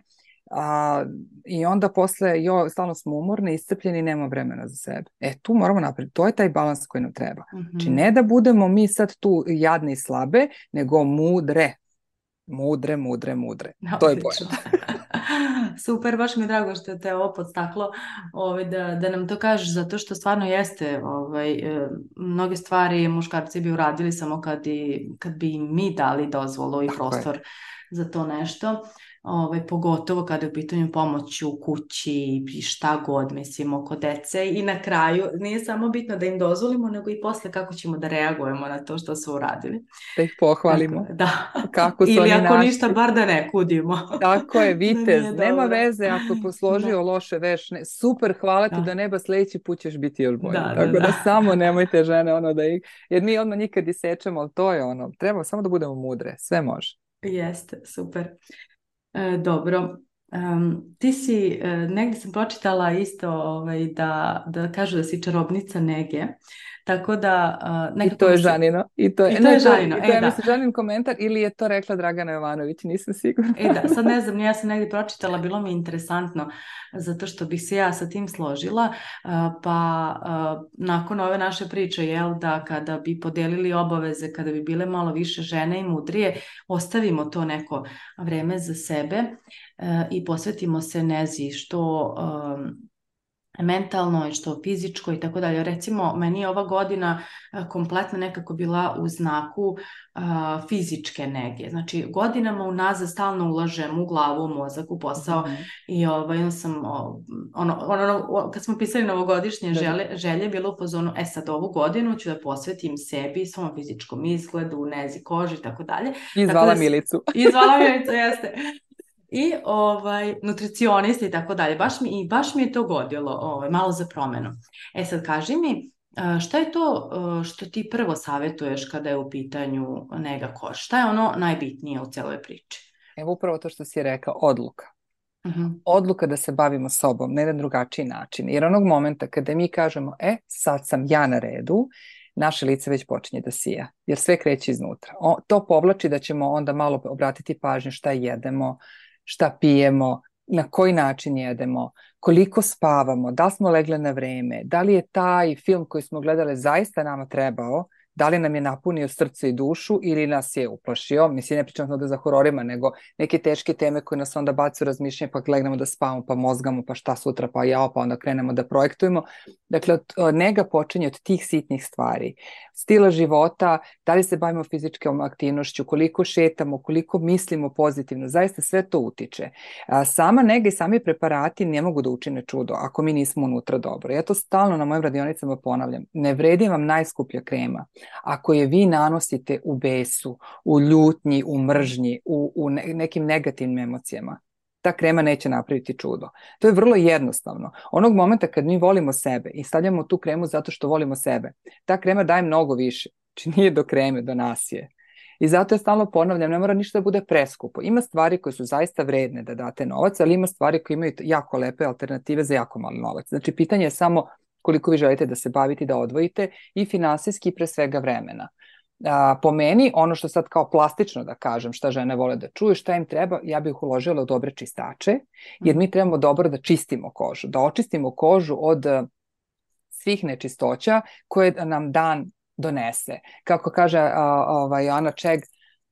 a, i onda posle, jo, stalno smo umorni, iscrpljeni i nema vremena za sebe. E, tu moramo napraviti, to je taj balans koji nam treba. Mm-hmm. Znači, ne da budemo mi sad tu jadne i slabe, nego mudre. Mudre, mudre, mudre. No, to je pojma. Super, baš mi je drago što te ovo podstaklo ovaj, da, da nam to kažeš, zato što stvarno jeste ovaj, mnoge stvari muškarci bi uradili samo kad, i, kad bi im mi dali dozvolu i prostor je. Za to nešto. Ovaj, pogotovo kada je u pitanju pomoć u kući i šta god, mislim, oko dece i na kraju nije samo bitno da im dozvolimo, nego i posle kako ćemo da reagujemo na to što su uradili. Da ih pohvalimo. Tako, da. Kako su ili oni ako našli. Ništa, bar da ne kudimo. Tako je, vitez, da nema veze ako je posložio da. Loše veš, ne, super, hvala ti da. Do neba, sledeći put ćeš biti još bolji. Da, tako da, da. da samo nemojte žene ono da ih, jer mi odmah nikad isečemo, ali to je ono, treba samo da budemo mudre, sve može. Jeste, super. E, dobro, um, ti si, e, negdje sam pročitala isto ovaj, da, da kažu da si čarobnica nege, tako da... Uh, I to je Žanino. I to je, I to ne, je Žanino, to, e, to je, da. Mislim, Žanin komentar ili je to rekla Dragana Jovanović, nisam sigurna. E da, sad ne znam, ja sam negdje pročitala, bilo mi interesantno, zato što bih se ja sa tim složila, uh, pa uh, nakon ove naše priče, jel, da kada bi podelili obaveze, kada bi bile malo više žene i mudrije, ostavimo to neko vreme za sebe uh, i posvetimo se nezi što... Um, mentalno i što fizičko i tako dalje. Recimo, meni je ova godina kompletno nekako bila u znaku uh, fizičke nege. Znači, godinama unazad stalno ulažem u glavu, u mozak, u posao mm-hmm. i ovaj, sam, ono, ono, kad smo pisali novogodišnje želje, želje, bilo u pozonu, e sad ovu godinu ću da posvetim sebi, svom fizičkom izgledu, nezi, koži i tako dalje. Izvala da, Milicu. Izvala Milicu, jeste. I ovaj, nutricionista i tako dalje. Baš mi, i baš mi je to godilo ovaj, malo za promenu. E sad kaži mi, šta je to što ti prvo savjetuješ kada je u pitanju nega kože? Šta je ono najbitnije u celoj priči? Evo upravo to što si rekao, odluka. Uh-huh. Odluka da se bavimo sobom na jedan drugačiji način. Jer onog momenta kada mi kažemo, e, sad sam ja na redu, naše lice već počinje da sija, jer sve kreće iznutra. O, to povlači da ćemo onda malo obratiti pažnju šta jedemo, šta pijemo, na koji način jedemo, koliko spavamo, da li smo legle na vreme, da li je taj film koji smo gledali zaista nama trebao, da li nam je napunio srce i dušu ili nas je uplašio, mislim ne pričam ovdje za hororima, nego neke teške teme koje nas onda bacu razmišljanje, pa legnemo da spavamo, pa mozgamo, pa šta sutra, pa jao, pa onda krenemo da projektujemo. Dakle, nega počinje od tih sitnih stvari. Stila života, da li se bavimo fizičkom aktivnošću, koliko šetamo, koliko mislimo pozitivno, zaista sve to utiče. Sama nega i sami preparati ne mogu da učine čudo ako mi nismo unutra dobro. Ja to stalno na mojim radionicama ponavljam. Ne vredi vam najskuplja krema ako je vi nanosite u besu, u ljutnji, u mržnji, u, u nekim negativnim emocijama. Ta krema neće napraviti čudo. To je vrlo jednostavno. Onog momenta kad mi volimo sebe i stavljamo tu kremu zato što volimo sebe, ta krema daje mnogo više. Znači nije do kreme, do nas je. I zato ja stalno ponavljam, ne mora ništa da bude preskupo. Ima stvari koje su zaista vredne da date novac, ali ima stvari koje imaju jako lepe alternative za jako mali novac. Znači pitanje je samo koliko vi želite da se bavite, da odvojite i finansijski pre svega vremena. A, po meni, ono što sad kao plastično da kažem, šta žene vole da čuju, šta im treba, ja bih uložila u dobre čistače, jer mi trebamo dobro da čistimo kožu, da očistimo kožu od svih nečistoća koje nam dan donese. Kako kaže uh, ovaj, Ana Čeg,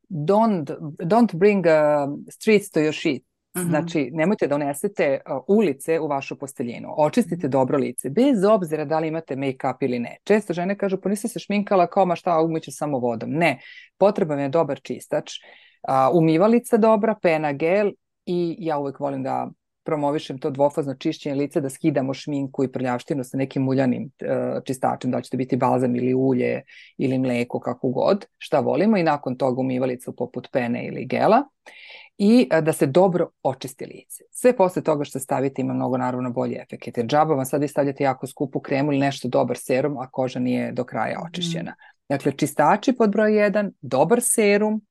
don't, don't bring uh, streets to your sheet. Znači, mm-hmm. nemojte da unesete uh, ulice u vašu posteljinu. Očistite mm-hmm. dobro lice, bez obzira da li imate make-up ili ne. Često žene kažu, pa nisam se šminkala, kao ma šta, umiću samo vodom. Ne, potreban je dobar čistač, uh, umivalica dobra, pena, gel i ja uvek volim da promovišem to dvofazno čišćenje lica, da skidamo šminku i prljavštinu sa nekim muljanim uh, čistačem, da će to biti balzam ili ulje ili mleko, kako god, šta volimo, i nakon toga umivalicu poput pene ili gela. I da se dobro očisti lice. Sve posle toga što stavite ima mnogo naravno bolji efekt. Jer džaba vam sad vi stavljate jako skupu kremu ili nešto dobar serum, a koža nije do kraja očišćena. Mm. Dakle, čistači pod broj jedan, dobar serum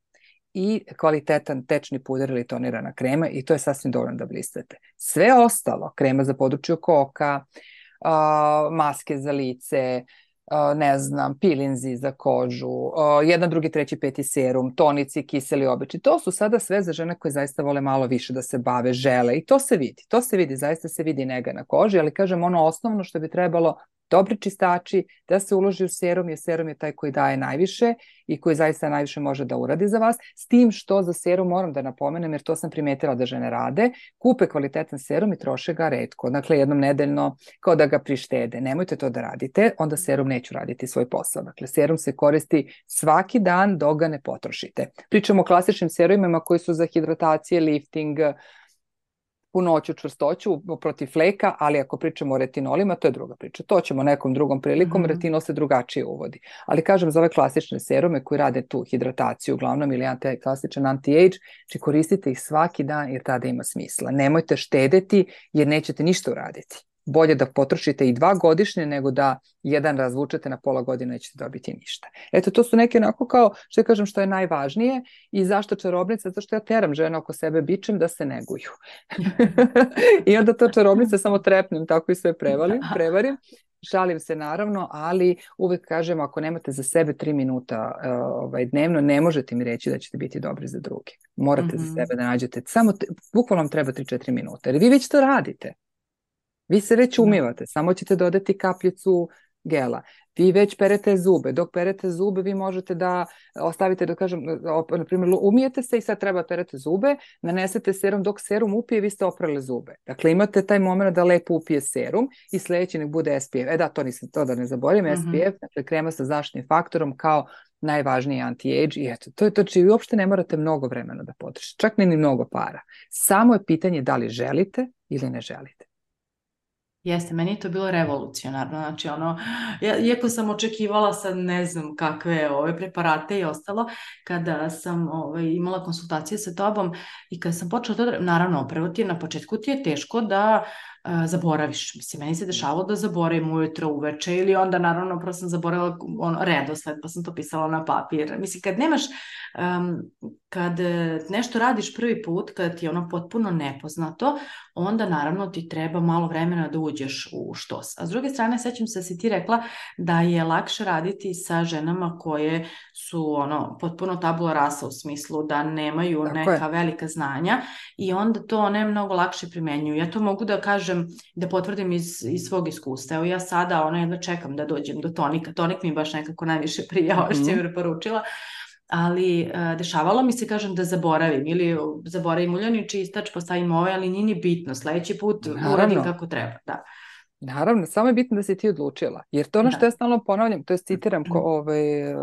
i kvalitetan tečni puder ili tonirana krema i to je sasvim dovoljno da blistate. Sve ostalo, krema za područje koka, uh, maske za lice, Uh, ne znam, pilinzi za kožu, uh, jedan, drugi, treći, peti serum, tonici, kiseli obični. To su sada sve za žene koje zaista vole malo više da se bave, žele i to se vidi. To se vidi, zaista se vidi nega na koži, ali kažem ono osnovno što bi trebalo, dobri čistači, da se uloži u serum, jer serum je taj koji daje najviše i koji zaista najviše može da uradi za vas. S tim što za serum moram da napomenem, jer to sam primetila da žene rade, kupe kvalitetan serum i troše ga retko, dakle jednom nedeljno, kao da ga prištede. Nemojte to da radite, onda serum neću raditi svoj posao. Dakle, serum se koristi svaki dan dok ga ne potrošite. Pričamo o klasičnim serumima koji su za hidratacije, lifting, punoću, čvrstoću, protiv fleka, ali ako pričamo o retinolima, to je druga priča. To ćemo nekom drugom prilikom, mm-hmm. retinol se drugačije uvodi. Ali kažem, za ove klasične serume koji rade tu hidrataciju, uglavnom ili anti, klasičan anti-age, či koristite ih svaki dan jer tada ima smisla. Nemojte štedeti jer nećete ništa uraditi. Bolje da potrošite i dva godišnje nego da jedan razvučete na pola godine, nećete dobiti ništa. Eto, to su neke onako kao, što ja kažem, što je najvažnije i zašto čarobnica, zato što ja teram žene oko sebe bičem da se neguju. I onda to čarobnica samo trepnem, tako i sve prevalim, prevarim. Šalim se naravno, ali uvek kažem, ako nemate za sebe tri minuta uh, ovaj, dnevno, ne možete mi reći da ćete biti dobri za druge. Morate mm-hmm. za sebe da nađete, samo, te, bukvalno vam treba tri četiri minuta, jer vi već to radite. Vi se već umivate, samo ćete dodati kapljicu gela. Vi već perete zube. Dok perete zube, vi možete da ostavite, da kažem, na primjer, umijete se i sad treba perete zube, nanesete serum, dok serum upije, vi ste oprali zube. Dakle, imate taj moment da lepo upije serum i sljedeći nek bude S P F. E da, to nisam, to da ne zaboravim, mm-hmm. S P F, dakle, krema sa zaštitnim faktorom kao najvažniji anti-age i eto, to je to, či vi uopšte ne morate mnogo vremena da potrošite, čak ne ni mnogo para. Samo je pitanje da li želite ili ne želite. Jeste, meni je to bilo revolucionarno, znači ono, ja, iako sam očekivala sad ne znam kakve ove preparate i ostalo, kada sam ove, imala konsultacije sa tobom i kada sam počela to, naravno, prvo ti je na početku ti je teško da uh, zaboraviš, mislim, meni se dešavalo da zaboravim ujutro, uveče ili onda naravno prvo sam zaboravila ono, redosled, pa sam to pisala na papir, mislim, kad nemaš, um, kad nešto radiš prvi put, kad ti je ono potpuno nepoznato, onda naravno ti treba malo vremena da uđeš u štos. A s druge strane, sećam se da si ti rekla da je lakše raditi sa ženama koje su ono potpuno tabula rasa u smislu da nemaju Tako neka je. velika znanja i onda to one mnogo lakše primenjuju. Ja to mogu da kažem, da potvrdim iz, iz svog iskustva. Evo ja sada ono jedno čekam da dođem do tonika. Tonik mi baš nekako najviše prija, ovo što je mi preporučila. Ali uh, dešavalo mi se, kažem, da zaboravim ili zaboravim uljani čistač, postavim ovaj, ali nije ni bitno, sledeći put Naravno. uradim kako treba, da. Naravno, samo je bitno da si ti odlučila, jer to ono što da. ja stalno ponavljam, to je citiram ko, ovaj,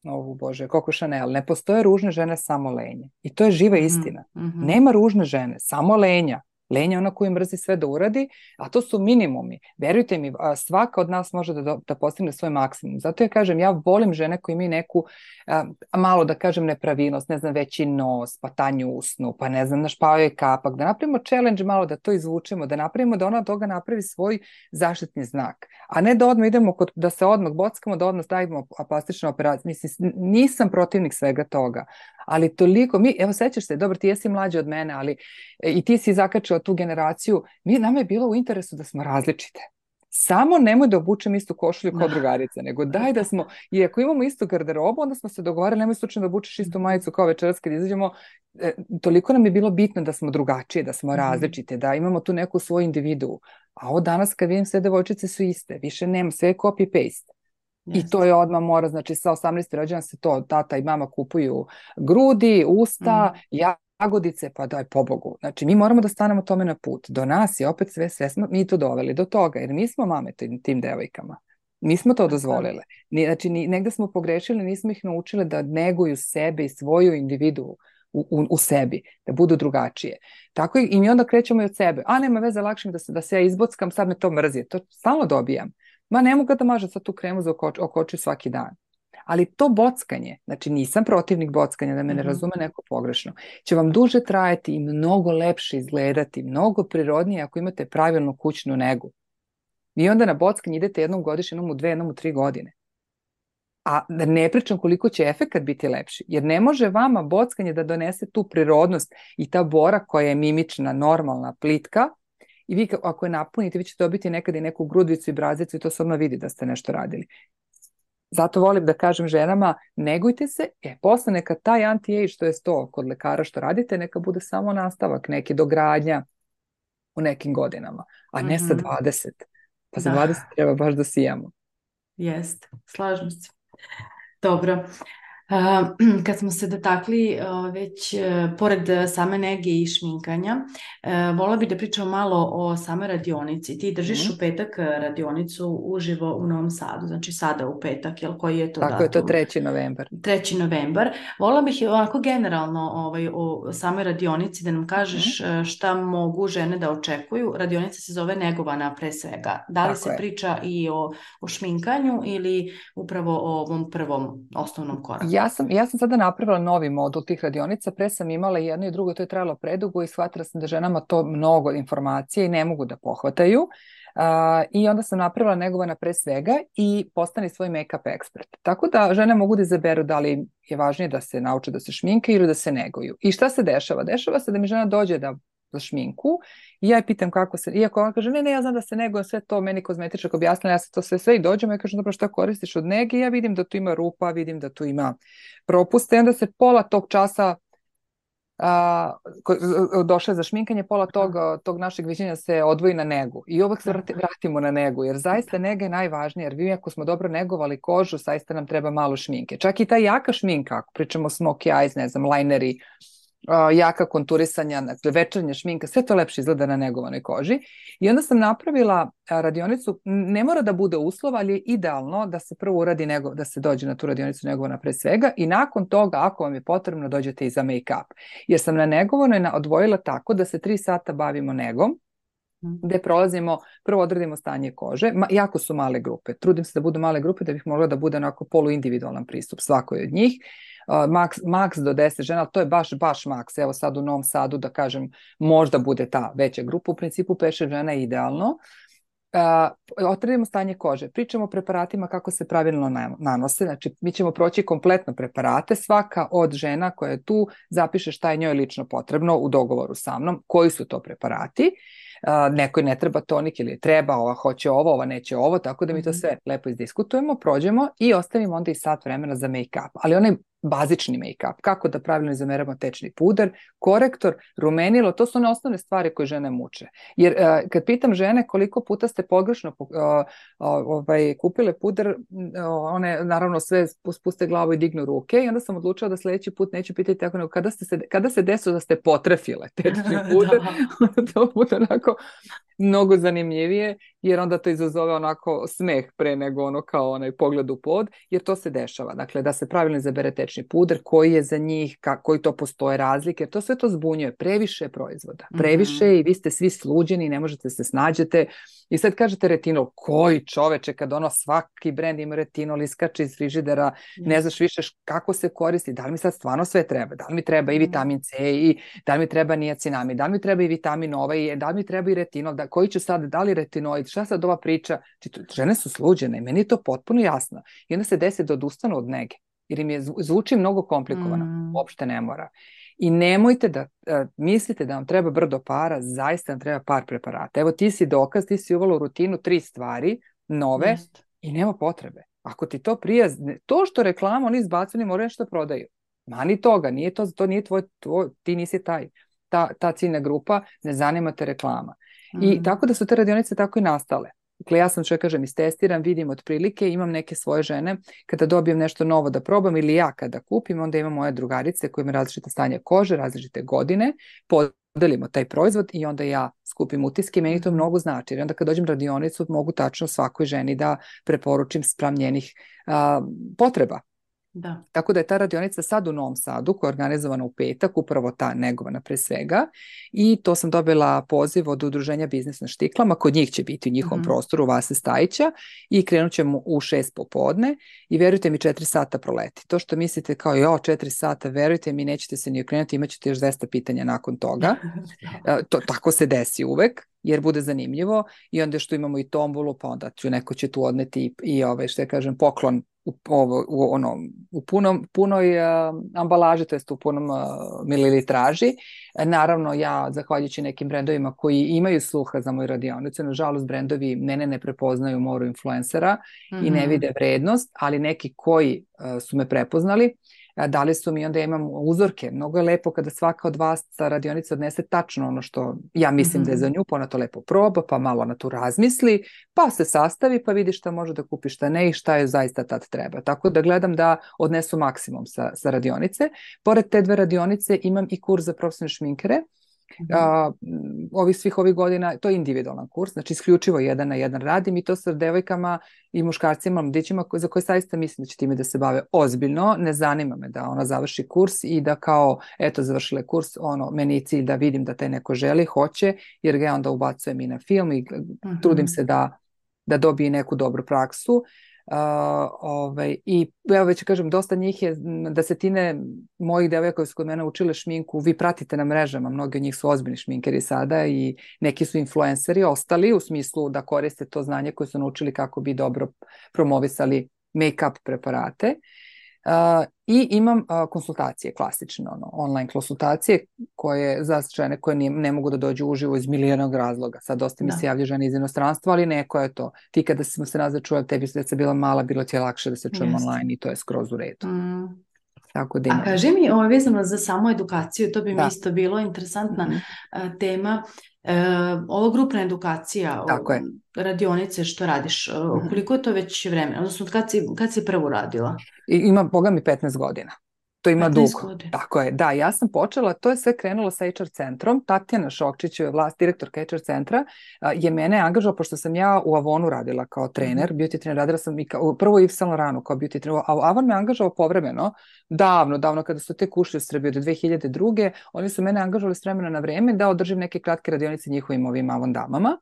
ovu Bože, Coco Chanel, ne postoje ružne žene, samo lenje. I to je živa istina. Mm-hmm. Nema ružne žene, samo lenja. Lenja je ona koju mrzi sve da uradi, a to su minimumi. Verujte mi, svaka od nas može da, da postigne svoj maksimum. Zato ja kažem, ja volim žene koje imaju neku, a, malo da kažem nepravilnost, ne znam, veći nos, pa tanju usnu, pa ne znam, našpavaju je kapak, da napravimo challenge malo, da to izvučemo, da napravimo da ona od toga napravi svoj zaštitni znak. A ne da odmah idemo, kod, da se odmah bockamo, da odmah stavimo plastičnu operaciju. Mislim, nisam protivnik svega toga. Ali toliko, mi, evo sećaš se, dobro, ti jesi mlađi od mene, ali i ti si zakačila tu generaciju, mi, nama je bilo u interesu da smo različite. Samo nemoj da obučem istu košulju kao drugarica, nego daj da smo, i ako imamo istu garderobu, onda smo se dogovarali, nemoj slučajno da obučeš istu majicu kao večeras kad izađemo, e, toliko nam je bilo bitno da smo drugačije, da smo različite, da imamo tu neku svoju individu. A ovo danas kad vidim sve devojčice su iste, više nema, sve je copy-paste. I to je odmah mora, znači sa osamnaeste rođena se to, tata i mama kupuju grudi, usta, mm. ja jagodice, pa daj pobogu. Znači, mi moramo da stanemo tome na put. Do nas je opet sve, sve smo mi to doveli do toga, jer mi smo mame tim, tim devojkama. Mi smo to dozvolile. Znači, negde smo pogrešili, nismo ih naučile da neguju sebe i svoju individu u, u, u sebi, da budu drugačije. Tako i mi onda krećemo i od sebe. A nema veze, lakše mi da se, da se ja izbockam, sad me to mrzi. To stalno dobijam. Ma ne mogu da mažem sad tu kremu za oko, oko oči svaki dan. Ali to bockanje, znači nisam protivnik bockanja, da me ne razume neko pogrešno, će vam duže trajati i mnogo lepše izgledati, mnogo prirodnije ako imate pravilnu kućnu negu. Vi onda na bockanje idete jednom godišnje, jednom u dve, jednom u tri godine. A da ne pričam koliko će efekat biti lepši, jer ne može vama bockanje da donese tu prirodnost i ta bora koja je mimična, normalna, plitka, i vi ako je napunite, vi ćete dobiti nekad i neku grudvicu i brazicu i to se odmah vidi da ste nešto radili. Zato volim da kažem ženama, negujte se, e, posle neka taj anti-age, što je to kod lekara što radite, neka bude samo nastavak, neki dogradnja u nekim godinama, a ne mm-hmm. sa dvadeset. Pa za da. dvadeset treba baš da sijamo. Jest, slažem se. Dobro. Uh, kad smo se dotakli uh, već uh, pored same nege i šminkanja, uh, vola bih da pričamo malo o samoj radionici. Ti držiš mm. u petak radionicu uživo u Novom Sadu, znači sada u petak, jel koji je to Tako datum? je to treći novembar. treći novembar. Vola bih ovako generalno ovaj, o samoj radionici da nam kažeš mm. šta mogu žene da očekuju. Radionica se zove Negovana pre svega. Da li Tako se je. priča i o, o šminkanju ili upravo o ovom prvom osnovnom koraku? Ja sam, ja sam sada napravila novi modul tih radionica, pre sam imala jedno i drugo, to je trajalo predugo i shvatila sam da ženama to mnogo informacije i ne mogu da pohvataju. Uh, I onda sam napravila Negovana pre svega i postani svoj make-up ekspert. Tako da žene mogu da izaberu da li je važnije da se nauče da se šminke ili da se neguju. I šta se dešava? Dešava se da mi žena dođe da za šminku i ja je pitam kako se, iako ona kaže ne, ne, ja znam da se negujem, sve to meni kozmetičak objasnila, ja se to sve sve i dođemo i kažem dobro šta koristiš od nege i ja vidim da tu ima rupa, vidim da tu ima propuste i onda se pola tog časa a, došle za šminkanje, pola tog, tog našeg viđenja se odvoji na negu i uvek se vrati, vratimo na negu, jer zaista nega je najvažnija, jer vi ako smo dobro negovali kožu, zaista nam treba malo šminke. Čak i ta jaka šminka, ako pričamo smoky eyes, ne znam, lineri, Uh, jaka konturisanja, dakle, večernja šminka, sve to lepše izgleda na negovanoj koži. I onda sam napravila uh, radionicu, ne mora da bude uslov, ali je idealno da se prvo uradi nego, da se dođe na tu radionicu negovana pre svega i nakon toga, ako vam je potrebno, dođete i za make-up. Jer sam na negovanoj odvojila tako da se tri sata bavimo negom, gde prolazimo, prvo odradimo stanje kože, Ma, jako su male grupe, trudim se da budu male grupe da bih mogla da bude onako poluindividualan pristup svakoj od njih. Uh, max, max do deset žena, ali to je baš, baš max. Evo sad u Novom Sadu, da kažem, možda bude ta veća grupa, u principu pet šest žena je idealno. Uh, otradimo stanje kože, pričamo o preparatima kako se pravilno nanose, znači mi ćemo proći kompletno preparate, svaka od žena koja je tu zapiše šta je njoj lično potrebno u dogovoru sa mnom, koji su to preparati. Uh, nekoj ne treba tonik ili treba, ova hoće ovo, ova neće ovo, tako da mi to sve lepo izdiskutujemo, prođemo i ostavimo onda i sat vremena za make-up, ali onaj bazični make-up, kako da pravilno izameramo tečni puder, korektor, rumenilo, to su one osnovne stvari koje žene muče. Jer uh, kad pitam žene koliko puta ste pogrešno uh, uh, ovaj, kupile puder, uh, one naravno sve spuste glavu i dignu ruke i onda sam odlučila da sljedeći put neću pitati tako nego kada, ste se, kada se desilo da ste potrefile tečni puder, onda to bude onako mnogo zanimljivije, jer onda to izazove onako smeh pre nego ono kao onaj pogled u pod, jer to se dešava. Dakle, da se pravilno izabere tečni puder, koji je za njih, ka, koji to postoje razlike, jer to sve to zbunjuje. Previše proizvoda. Previše mm-hmm. i vi ste svi sluđeni, ne možete se snađete. I sad kažete retinol, koji čoveče, kad ono svaki brend ima retinol, iskače iz frižidera, yes. ne znaš više kako se koristi, da li mi sad stvarno sve treba, da li mi treba i vitamin C, i da li mi treba niacinamid, da li mi treba i vitamin ovaj, da li mi treba i retinol, da, koji ću sad, da li retinoid, šta sad ova priča, žene su sluđene i meni je to potpuno jasno. I onda se desi da odustanu od nege, jer im je zvuči mnogo komplikovano, mm. uopšte ne mora. I nemojte da uh, mislite da vam treba brdo para, zaista vam treba par preparata. Evo ti si dokaz, ti si uvela u rutinu tri stvari, nove, Just. i nema potrebe. Ako ti to prija, to što reklama oni izbacuju, moraju nešto prodaju. Mani toga, nije to, to nije tvoj, tvoj, ti nisi taj, ta, ta ciljna grupa, ne zanima te reklama. Mm. I tako da su te radionice tako i nastale. Dakle, ja sam što kažem, istestiram, vidim otprilike, imam neke svoje žene, kada dobijem nešto novo da probam ili ja kada kupim, onda imam moje drugarice koje imaju različite stanje kože, različite godine, podelimo taj proizvod i onda ja skupim utiske i meni to mnogo znači. Jer onda kad dođem na radionicu mogu tačno svakoj ženi da preporučim spram njenih a, potreba. Da. Tako da je ta radionica sad u Novom Sadu koja je organizovana u petak, upravo ta negovana pre svega, i to sam dobila poziv od Udruženja Biznis na štiklama, kod njih će biti u njihovom Mhm. prostoru Vase Stajića i krenut ćemo u šest popodne i verujte mi četiri sata proleti. To što mislite kao jo, četiri sata, verujte mi nećete se ni okrenuti, imat ćete još dvesta pitanja nakon toga. E, to, tako se desi uvek, jer bude zanimljivo i onda što imamo i tombolu, pa onda ću, neko će tu odneti i, i ove, što ja kažem, poklon u, ovo, u, ono, u punom, punoj uh, ambalaži, to jest u punom uh, mililitraži. E, naravno, ja, zahvaljujući nekim brendovima koji imaju sluha za moju radionicu, nažalost, brendovi mene ne prepoznaju moru influencera mm-hmm. i ne vide vrednost, ali neki koji uh, su me prepoznali, dali su mi, onda imam uzorke. Mnogo je lepo kada svaka od vas sa radionice odnese tačno ono što ja mislim mm-hmm. da je za nju, pa ona to lepo proba, pa malo ona tu razmisli, pa se sastavi, pa vidi šta može da kupi, šta ne i šta je zaista tad treba. Tako da gledam da odnesu maksimum sa, sa radionice. Pored te dve radionice imam i kurs za profesionalne šminkere. Uh, ovih svih ovih godina, to je individualan kurs, znači isključivo jedan na jedan radim i to sa devojkama i muškarcima, mladićima za koje saista mislim da će time da se bave ozbiljno. Ne zanima me da ona završi kurs i da kao, eto, završila je kurs, ono, meni je cilj da vidim da taj neko želi, hoće, jer ga ja onda ubacujem i na film i uh-huh. trudim se da, da dobije neku dobru praksu. Uh, ovaj, i evo već kažem, dosta njih je, desetine mojih devojaka koji su kod mene učile šminku, vi pratite na mrežama, mnogi od njih su ozbiljni šminkeri sada i neki su influenceri, ostali u smislu da koriste to znanje koje su naučili kako bi dobro promovisali make-up preparate. Uh, i imam uh, konsultacije, klasične ono, online konsultacije koje za žene koje ne, ne mogu da dođu uživo iz milijarnog razloga. Sad dosta mi da. se javlja žene iz inostranstva, ali neko je to. Ti kada smo se nazad čuli, tebi se bila mala, bilo ti je lakše da se čujemo yes. online i to je skroz u redu. Mm. Tako da imam. A kaži mi, ovo je vezano za samu edukaciju, to bi da. mi isto bilo interesantna mm-hmm. tema. E, ovo grupna edukacija, Tako je. radionice što radiš, mm-hmm. koliko je to već vremena? Odnosno, kad si, kad si prvo radila? I, ima, boga mi, petnaest godina. To ima dugo. Godina. Tako je. Da, ja sam počela, to je sve krenulo sa H R centrom. Tatjana Šokčić, vlast, direktorka H R centra, je mene angažovala, pošto sam ja u Avonu radila kao trener, mm-hmm. beauty trener, radila sam i kao, prvo Yves Saint Laurent kao beauty trener, a Avon me angažovao povremeno, davno, davno, kada su tek ušli u Srbiju do dve hiljade druge. Oni su mene angažovali s vremena na vreme da održim neke kratke radionice njihovim ovim Avon damama.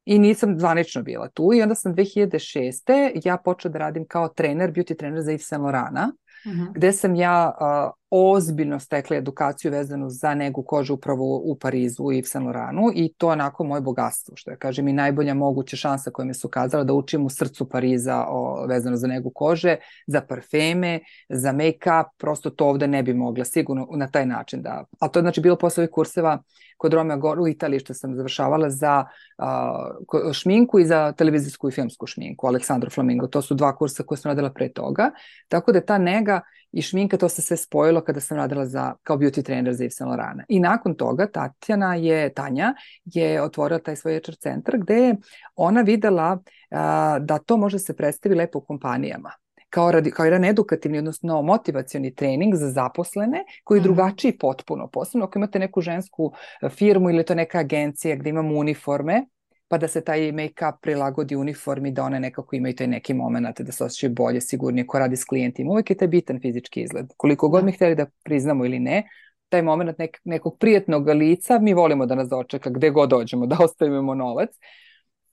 I nisam zvanično bila tu i onda sam dve hiljade šeste ja počela da radim kao trener, beauty trener za Yves Saint Laurenta, uh-huh. gde sam ja uh, ozbiljno stekla edukaciju vezanu za negu kože upravo u Parizu u Yves Saint Laurentu i to je onako moje bogatstvo, što ja kažem i najbolja moguća šansa koja mi se ukazala da učim u srcu Pariza o, vezano za negu kože, za parfeme, za make-up, prosto to ovde ne bi mogla sigurno na taj način da, a to je znači bilo posle ovih kurseva kod Romeo Gore u Italiji što sam završavala za uh, šminku i za televizijsku i filmsku šminku, Aleksandro Flamingo, to su dva kursa koje sam radila pre toga, tako da ta nega i šminka, to se sve spojilo kada sam radila za, kao beauty trener za Yves Saint Laurenta. I nakon toga Tatjana je, Tanja je otvorila taj svoj H R centar gde je ona videla uh, da to može se predstavi lepo u kompanijama. Kao, radi, kao jedan edukativni, odnosno motivacioni trening za zaposlene koji je drugačiji potpuno. Posebno ako imate neku žensku firmu ili to neka agencija gde imamo uniforme, pa da se taj make-up prilagodi uniformi, da one nekako imaju taj neki moment, da se osjećaju bolje, sigurnije, ko radi s klijentima. Uvijek je taj bitan fizički izgled. Koliko god mi htjeli da priznamo ili ne, taj moment nek, nekog prijetnog lica, mi volimo da nas dočeka gde god dođemo, da ostavimo novac.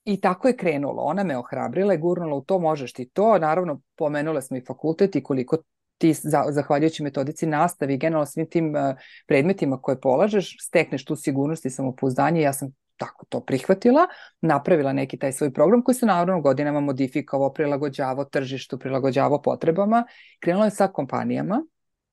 I tako je krenulo. Ona me ohrabrila i gurnula u to, možeš ti to. Naravno, pomenula smo i fakultet i koliko ti, zahvaljujući metodici nastavi i generalno svim tim uh, predmetima koje polažeš, stekneš tu sigurnost i samopouzdanje. Ja sam tako to prihvatila, napravila neki taj svoj program koji se naravno godinama modifikovao, prilagođavao tržištu, prilagođavao potrebama. Krenula je sa kompanijama.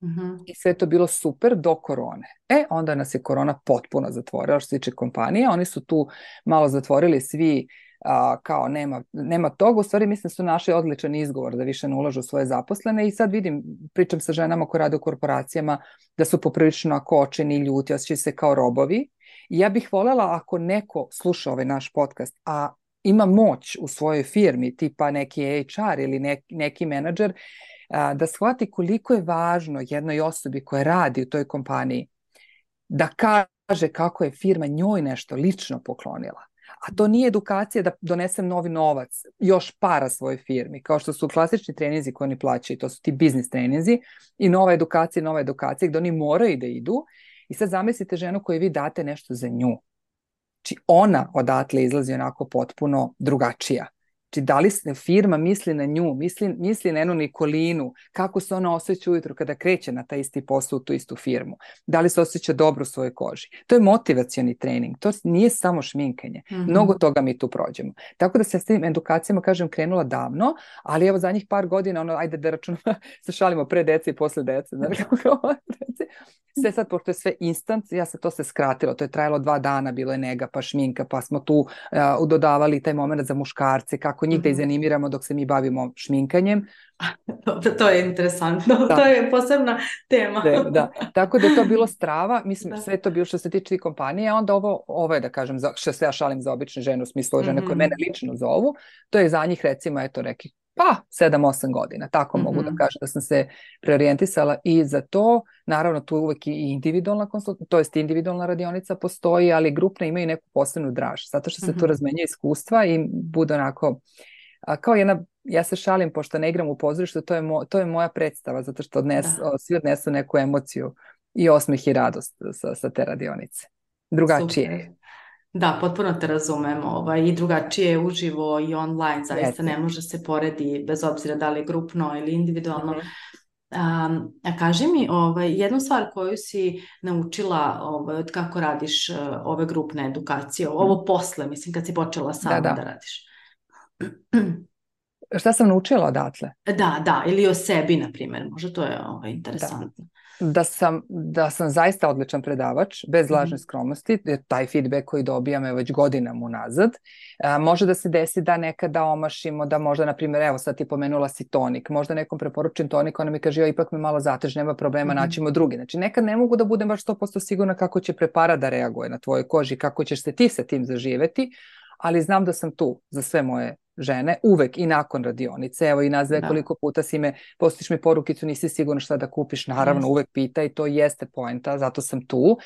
Mm-hmm. I sve to bilo super do korone. E, onda nas je korona potpuno zatvorila što se tiče kompanije. Oni su tu malo zatvorili svi a, kao nema, nema toga. U stvari mislim su našli odličan izgovor da više ne ulažu u svoje zaposlene i sad vidim, pričam sa ženama koje rade u korporacijama da su poprilično kočeni, ljuti, osjećaju se kao robovi. I ja bih voljela ako neko sluša ovaj naš podcast, a ima moć u svojoj firmi, tipa neki H R ili neki, neki menadžer, a, da shvati koliko je važno jednoj osobi koja radi u toj kompaniji da kaže kako je firma njoj nešto lično poklonila. A to nije edukacija da donesem novi novac, još para svojoj firmi, kao što su klasični treninzi koji oni plaćaju, to su ti biznis treninzi i nova edukacija, nova edukacija gdje oni moraju da idu. I sad zamislite ženu koju vi date nešto za nju. Znači ona odatle izlazi onako potpuno drugačija. Znači da li firma misli na nju, misli, misli na jednu Nikolinu, kako se ona osjeća ujutro kada kreće na taj isti posao u tu istu firmu. Da li se osjeća dobro u svojoj koži. To je motivacioni trening, to nije samo šminkanje. Mm-hmm. Mnogo toga mi tu prođemo. Tako da se s tim edukacijama, kažem, krenula davno, ali evo zadnjih par godina, ono, ajde da računamo, se šalimo pre dece i posle dece. Znači, sve sad, pošto je sve instant, ja se to se skratilo, to je trajalo dva dana, bilo je nega, pa šminka, pa smo tu uh, dodavali taj moment za muškarce, kako njih mm-hmm. da izanimiramo dok se mi bavimo šminkanjem. Dobro, to je interesantno, da. To je posebna tema. Da, da. Tako da je to bilo strava, mislim, da. Sve to bilo što se tiče kompanije, a onda ovo, ovo je da kažem, za, što se ja šalim za obične žene, u smislu žene mm-hmm. koje mene lično zovu, to je za njih recimo, eto neki, pa sedam osam godina, tako mm-hmm. mogu da kažem da sam se preorijentisala i za to, naravno tu uvek i individualna konsultacija, to jest individualna radionica postoji, ali grupne imaju neku posebnu draž, zato što se mm-hmm. tu razmenjuje iskustva i bude onako, a, kao jedna, ja se šalim, pošto ne igram u pozorištu, to je, mo, to je moja predstava, zato što odnes, svi odnesu neku emociju i osmeh i radost sa, sa te radionice. Drugačije je. Da, potpuno te razumem, ovaj, i drugačije je uživo i online, zaista ne može se poredi bez obzira da li je grupno ili individualno. Mm-hmm. Um, a kaži mi, ovaj, jednu stvar koju si naučila ovaj, od kako radiš uh, ove grupne edukacije, mm-hmm. ovo posle, mislim, kad si počela sama da, da. da radiš. Šta sam naučila odatle? Da, da, ili o sebi, na primjer, možda to je ovaj, interesantno. Da. Da sam, da sam zaista odličan predavač, bez lažne skromnosti, taj feedback koji dobijam je već godinama unazad. A, može da se desi da nekada omašimo, da možda, na primjer, evo sad ti pomenula si tonik, možda nekom preporučim tonik, ona mi kaže, jo, ipak me malo zatež, nema problema, mm-hmm. naćemo drugi. Znači, nekad ne mogu da budem baš sto posto sigurna kako će preparat da reaguje na tvojoj koži, kako ćeš se ti sa tim zaživeti, ali znam da sam tu za sve moje žene, uvek i nakon radionice, evo i nazve da. Koliko puta si me, postiš mi porukicu, nisi sigurna šta da kupiš, naravno, yes. uvek pita i to jeste poenta, zato sam tu.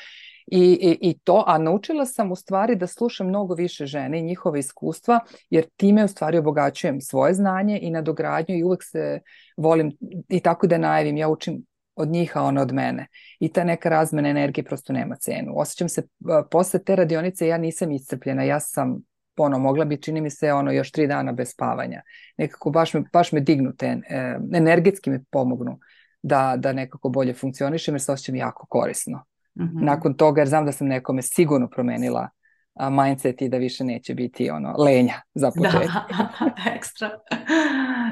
I, i, i to, a naučila sam u stvari da slušam mnogo više žene i njihova iskustva, jer time u stvari obogaćujem svoje znanje i nadogradnju i uvek se volim i tako da najavim, ja učim od njih, a ona od mene. I ta neka razmena energije prosto nema cenu. Osjećam se, posle te radionice ja nisam iscrpljena, ja sam ono, mogla bi, čini mi se, ono, još tri dana bez spavanja. Nekako baš me, baš me dignu te, e, energetski me pomognu da, da nekako bolje funkcionišem, jer se osjećam jako korisno. Mm-hmm. Nakon toga, jer znam da sam nekome sigurno promenila a, mindset i da više neće biti ono, lenja za početak. Da, ekstra.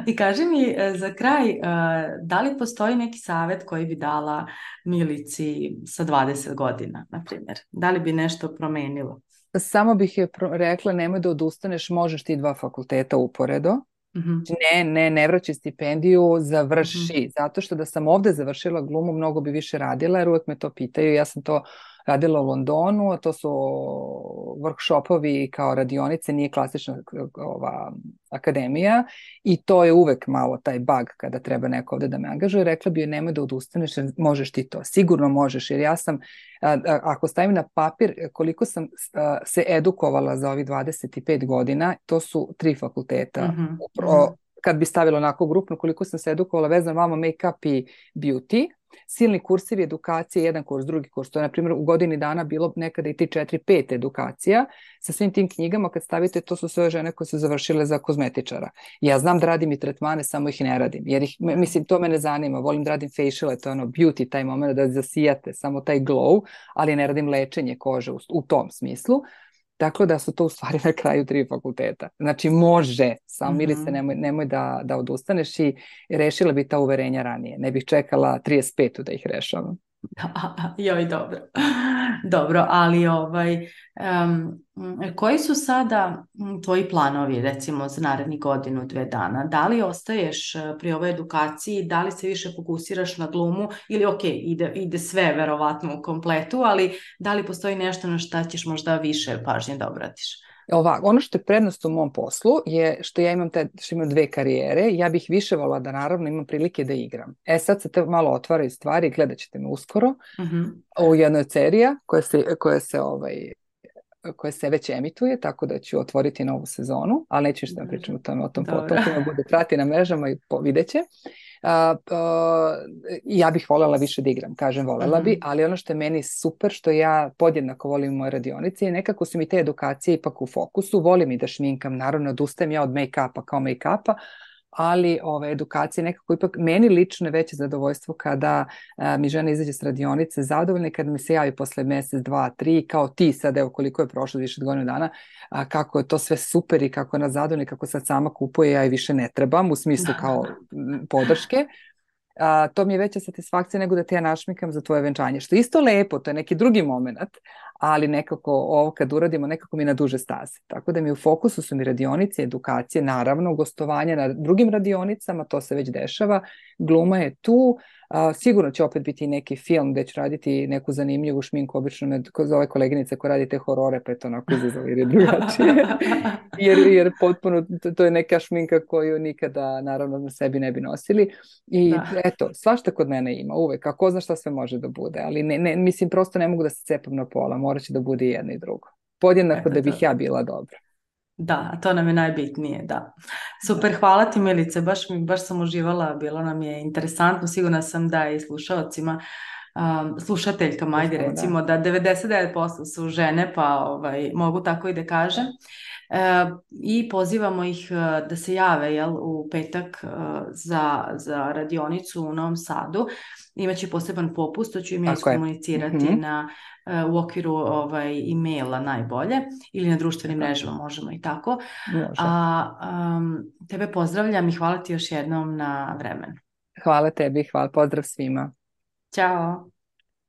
I kaži mi za kraj, da li postoji neki savjet koji bi dala Milici sa dvadeset godina, na primjer? Da li bi nešto promenilo? Samo bih je rekla, nemoj da odustaneš, možeš ti dva fakulteta uporedo. Mm-hmm. Ne, ne, ne vraćaj stipendiju, završi. Mm-hmm. Zato što da sam ovde završila glumu, mnogo bi više radila, jer uvek me to pitaju. Ja sam to radila u Londonu, a to su workshopovi kao radionice, nije klasična ova akademija i to je uvek malo taj bug kada treba neko ovde da me angažuje. Rekla bi joj, nemoj da odustaneš, jer možeš ti to. Sigurno možeš, jer ja sam, a, a, ako stavim na papir koliko sam a, se edukovala za ovih dvadeset pet godina, to su tri fakulteta. Mm-hmm. Upro, kad bi stavila onako grupno, koliko sam se edukovala vezano vama make-up i beauty, silni kursivi edukacije, jedan kurs, drugi kurs. To je, na primjer, u godini dana bilo nekada i ti četiri, pet edukacija sa svim tim knjigama. Kad stavite, to su sve žene koje su završile za kozmetičara. Ja znam da radim i tretmane, samo ih ne radim. Jer ih, mislim, to me ne zanima. Volim da radim faciale, to je ono beauty, taj moment da zasijate, samo taj glow, ali ne radim lečenje kože u, u tom smislu. Tako da su to u stvari na kraju tri fakulteta. Znači može, samo mm-hmm. Milice, nemoj, nemoj da, da odustaneš i rešila bi ta uverenja ranije. Ne bih čekala trideset pet da ih rešavam. Joj, dobro. Dobro, ali ovaj, um, koji su sada tvoji planovi, recimo za narednih godinu, dve dana? Da li ostaješ pri ovoj edukaciji, da li se više fokusiraš na glumu ili ok, ide, ide sve verovatno u kompletu, ali da li postoji nešto na šta ćeš možda više pažnje da obratiš? Ovako, ono što je prednost u mom poslu je što ja imam, te, što imam dve karijere. Ja bih više volila da naravno imam prilike da igram. E sad se te malo otvaraju stvari, gledat ćete me uskoro Mhm. u jednoj od serija koja se, koja se ovaj, koje se već emituje, tako da ću otvoriti novu sezonu, ali neću što vam pričam o tome, o tom Dobro. potom, kome bude prati na mrežama i po, vidjet će. Uh, uh, ja bih voljela više da igram, kažem voljela bi, Mhm. ali ono što je meni super, što ja podjednako volim moje radionice, je nekako su mi te edukacije ipak u fokusu, volim i da šminkam, naravno odustajem ja od make-upa kao make-upa, ali ove edukacije nekako ipak meni lično je veće zadovoljstvo kada a, mi žena izađe s radionice zadovoljna, kada mi se javi posle mjesec, dva, tri, kao ti sad, evo koliko je prošlo više od godinu dana, a, kako je to sve super i kako je ona zadovoljna, kako sad sama kupuje, ja i više ne trebam u smislu kao m, podrške. A, to mi je veća satisfakcija nego da te ja našmikam za tvoje venčanje, što je isto lepo, to je neki drugi moment, ali nekako ovo kad uradimo nekako mi na duže staze. Tako da mi u fokusu su mi radionice, edukacije, naravno gostovanje na drugim radionicama, to se već dešava, gluma je tu, a, sigurno će opet biti neki film gde ću raditi neku zanimljivu šminku, obično me za ove koleginice koje radite horore, pa je to onako izazov jer je drugačije. jer, jer potpuno, to, to je neka šminka koju nikada naravno na sebi ne bi nosili. I Da. eto, svašta kod mene ima uvek, a ko zna šta sve može da bude, ali ne, ne, mislim prosto ne mogu da se cepam na pola, morat će da bude i jedno i drugo. Podjednako Eto da to. bih ja bila dobra. Da, a to nam je najbitnije, da. Super, hvala ti Milice, baš, mi, baš sam uživala, bilo nam je interesantno, sigurna sam da i slušalcima, um, slušateljkama, ajde Slušamo, da. recimo, da devedeset devet posto su žene, pa ovaj, mogu tako i da kažem. E, I pozivamo ih e, da se jave jel, u petak e, za, za radionicu u Novom Sadu. Imaće poseban popust, to ću im ja Tako je. iskomunicirati Mhm. na, e, u okviru ovaj, e-maila najbolje ili na društvenim Eto, mrežama, možemo i tako. može. A um, tebe pozdravljam i hvala ti još jednom na vremenu. Hvala tebi, hvala, pozdrav svima. Ćao!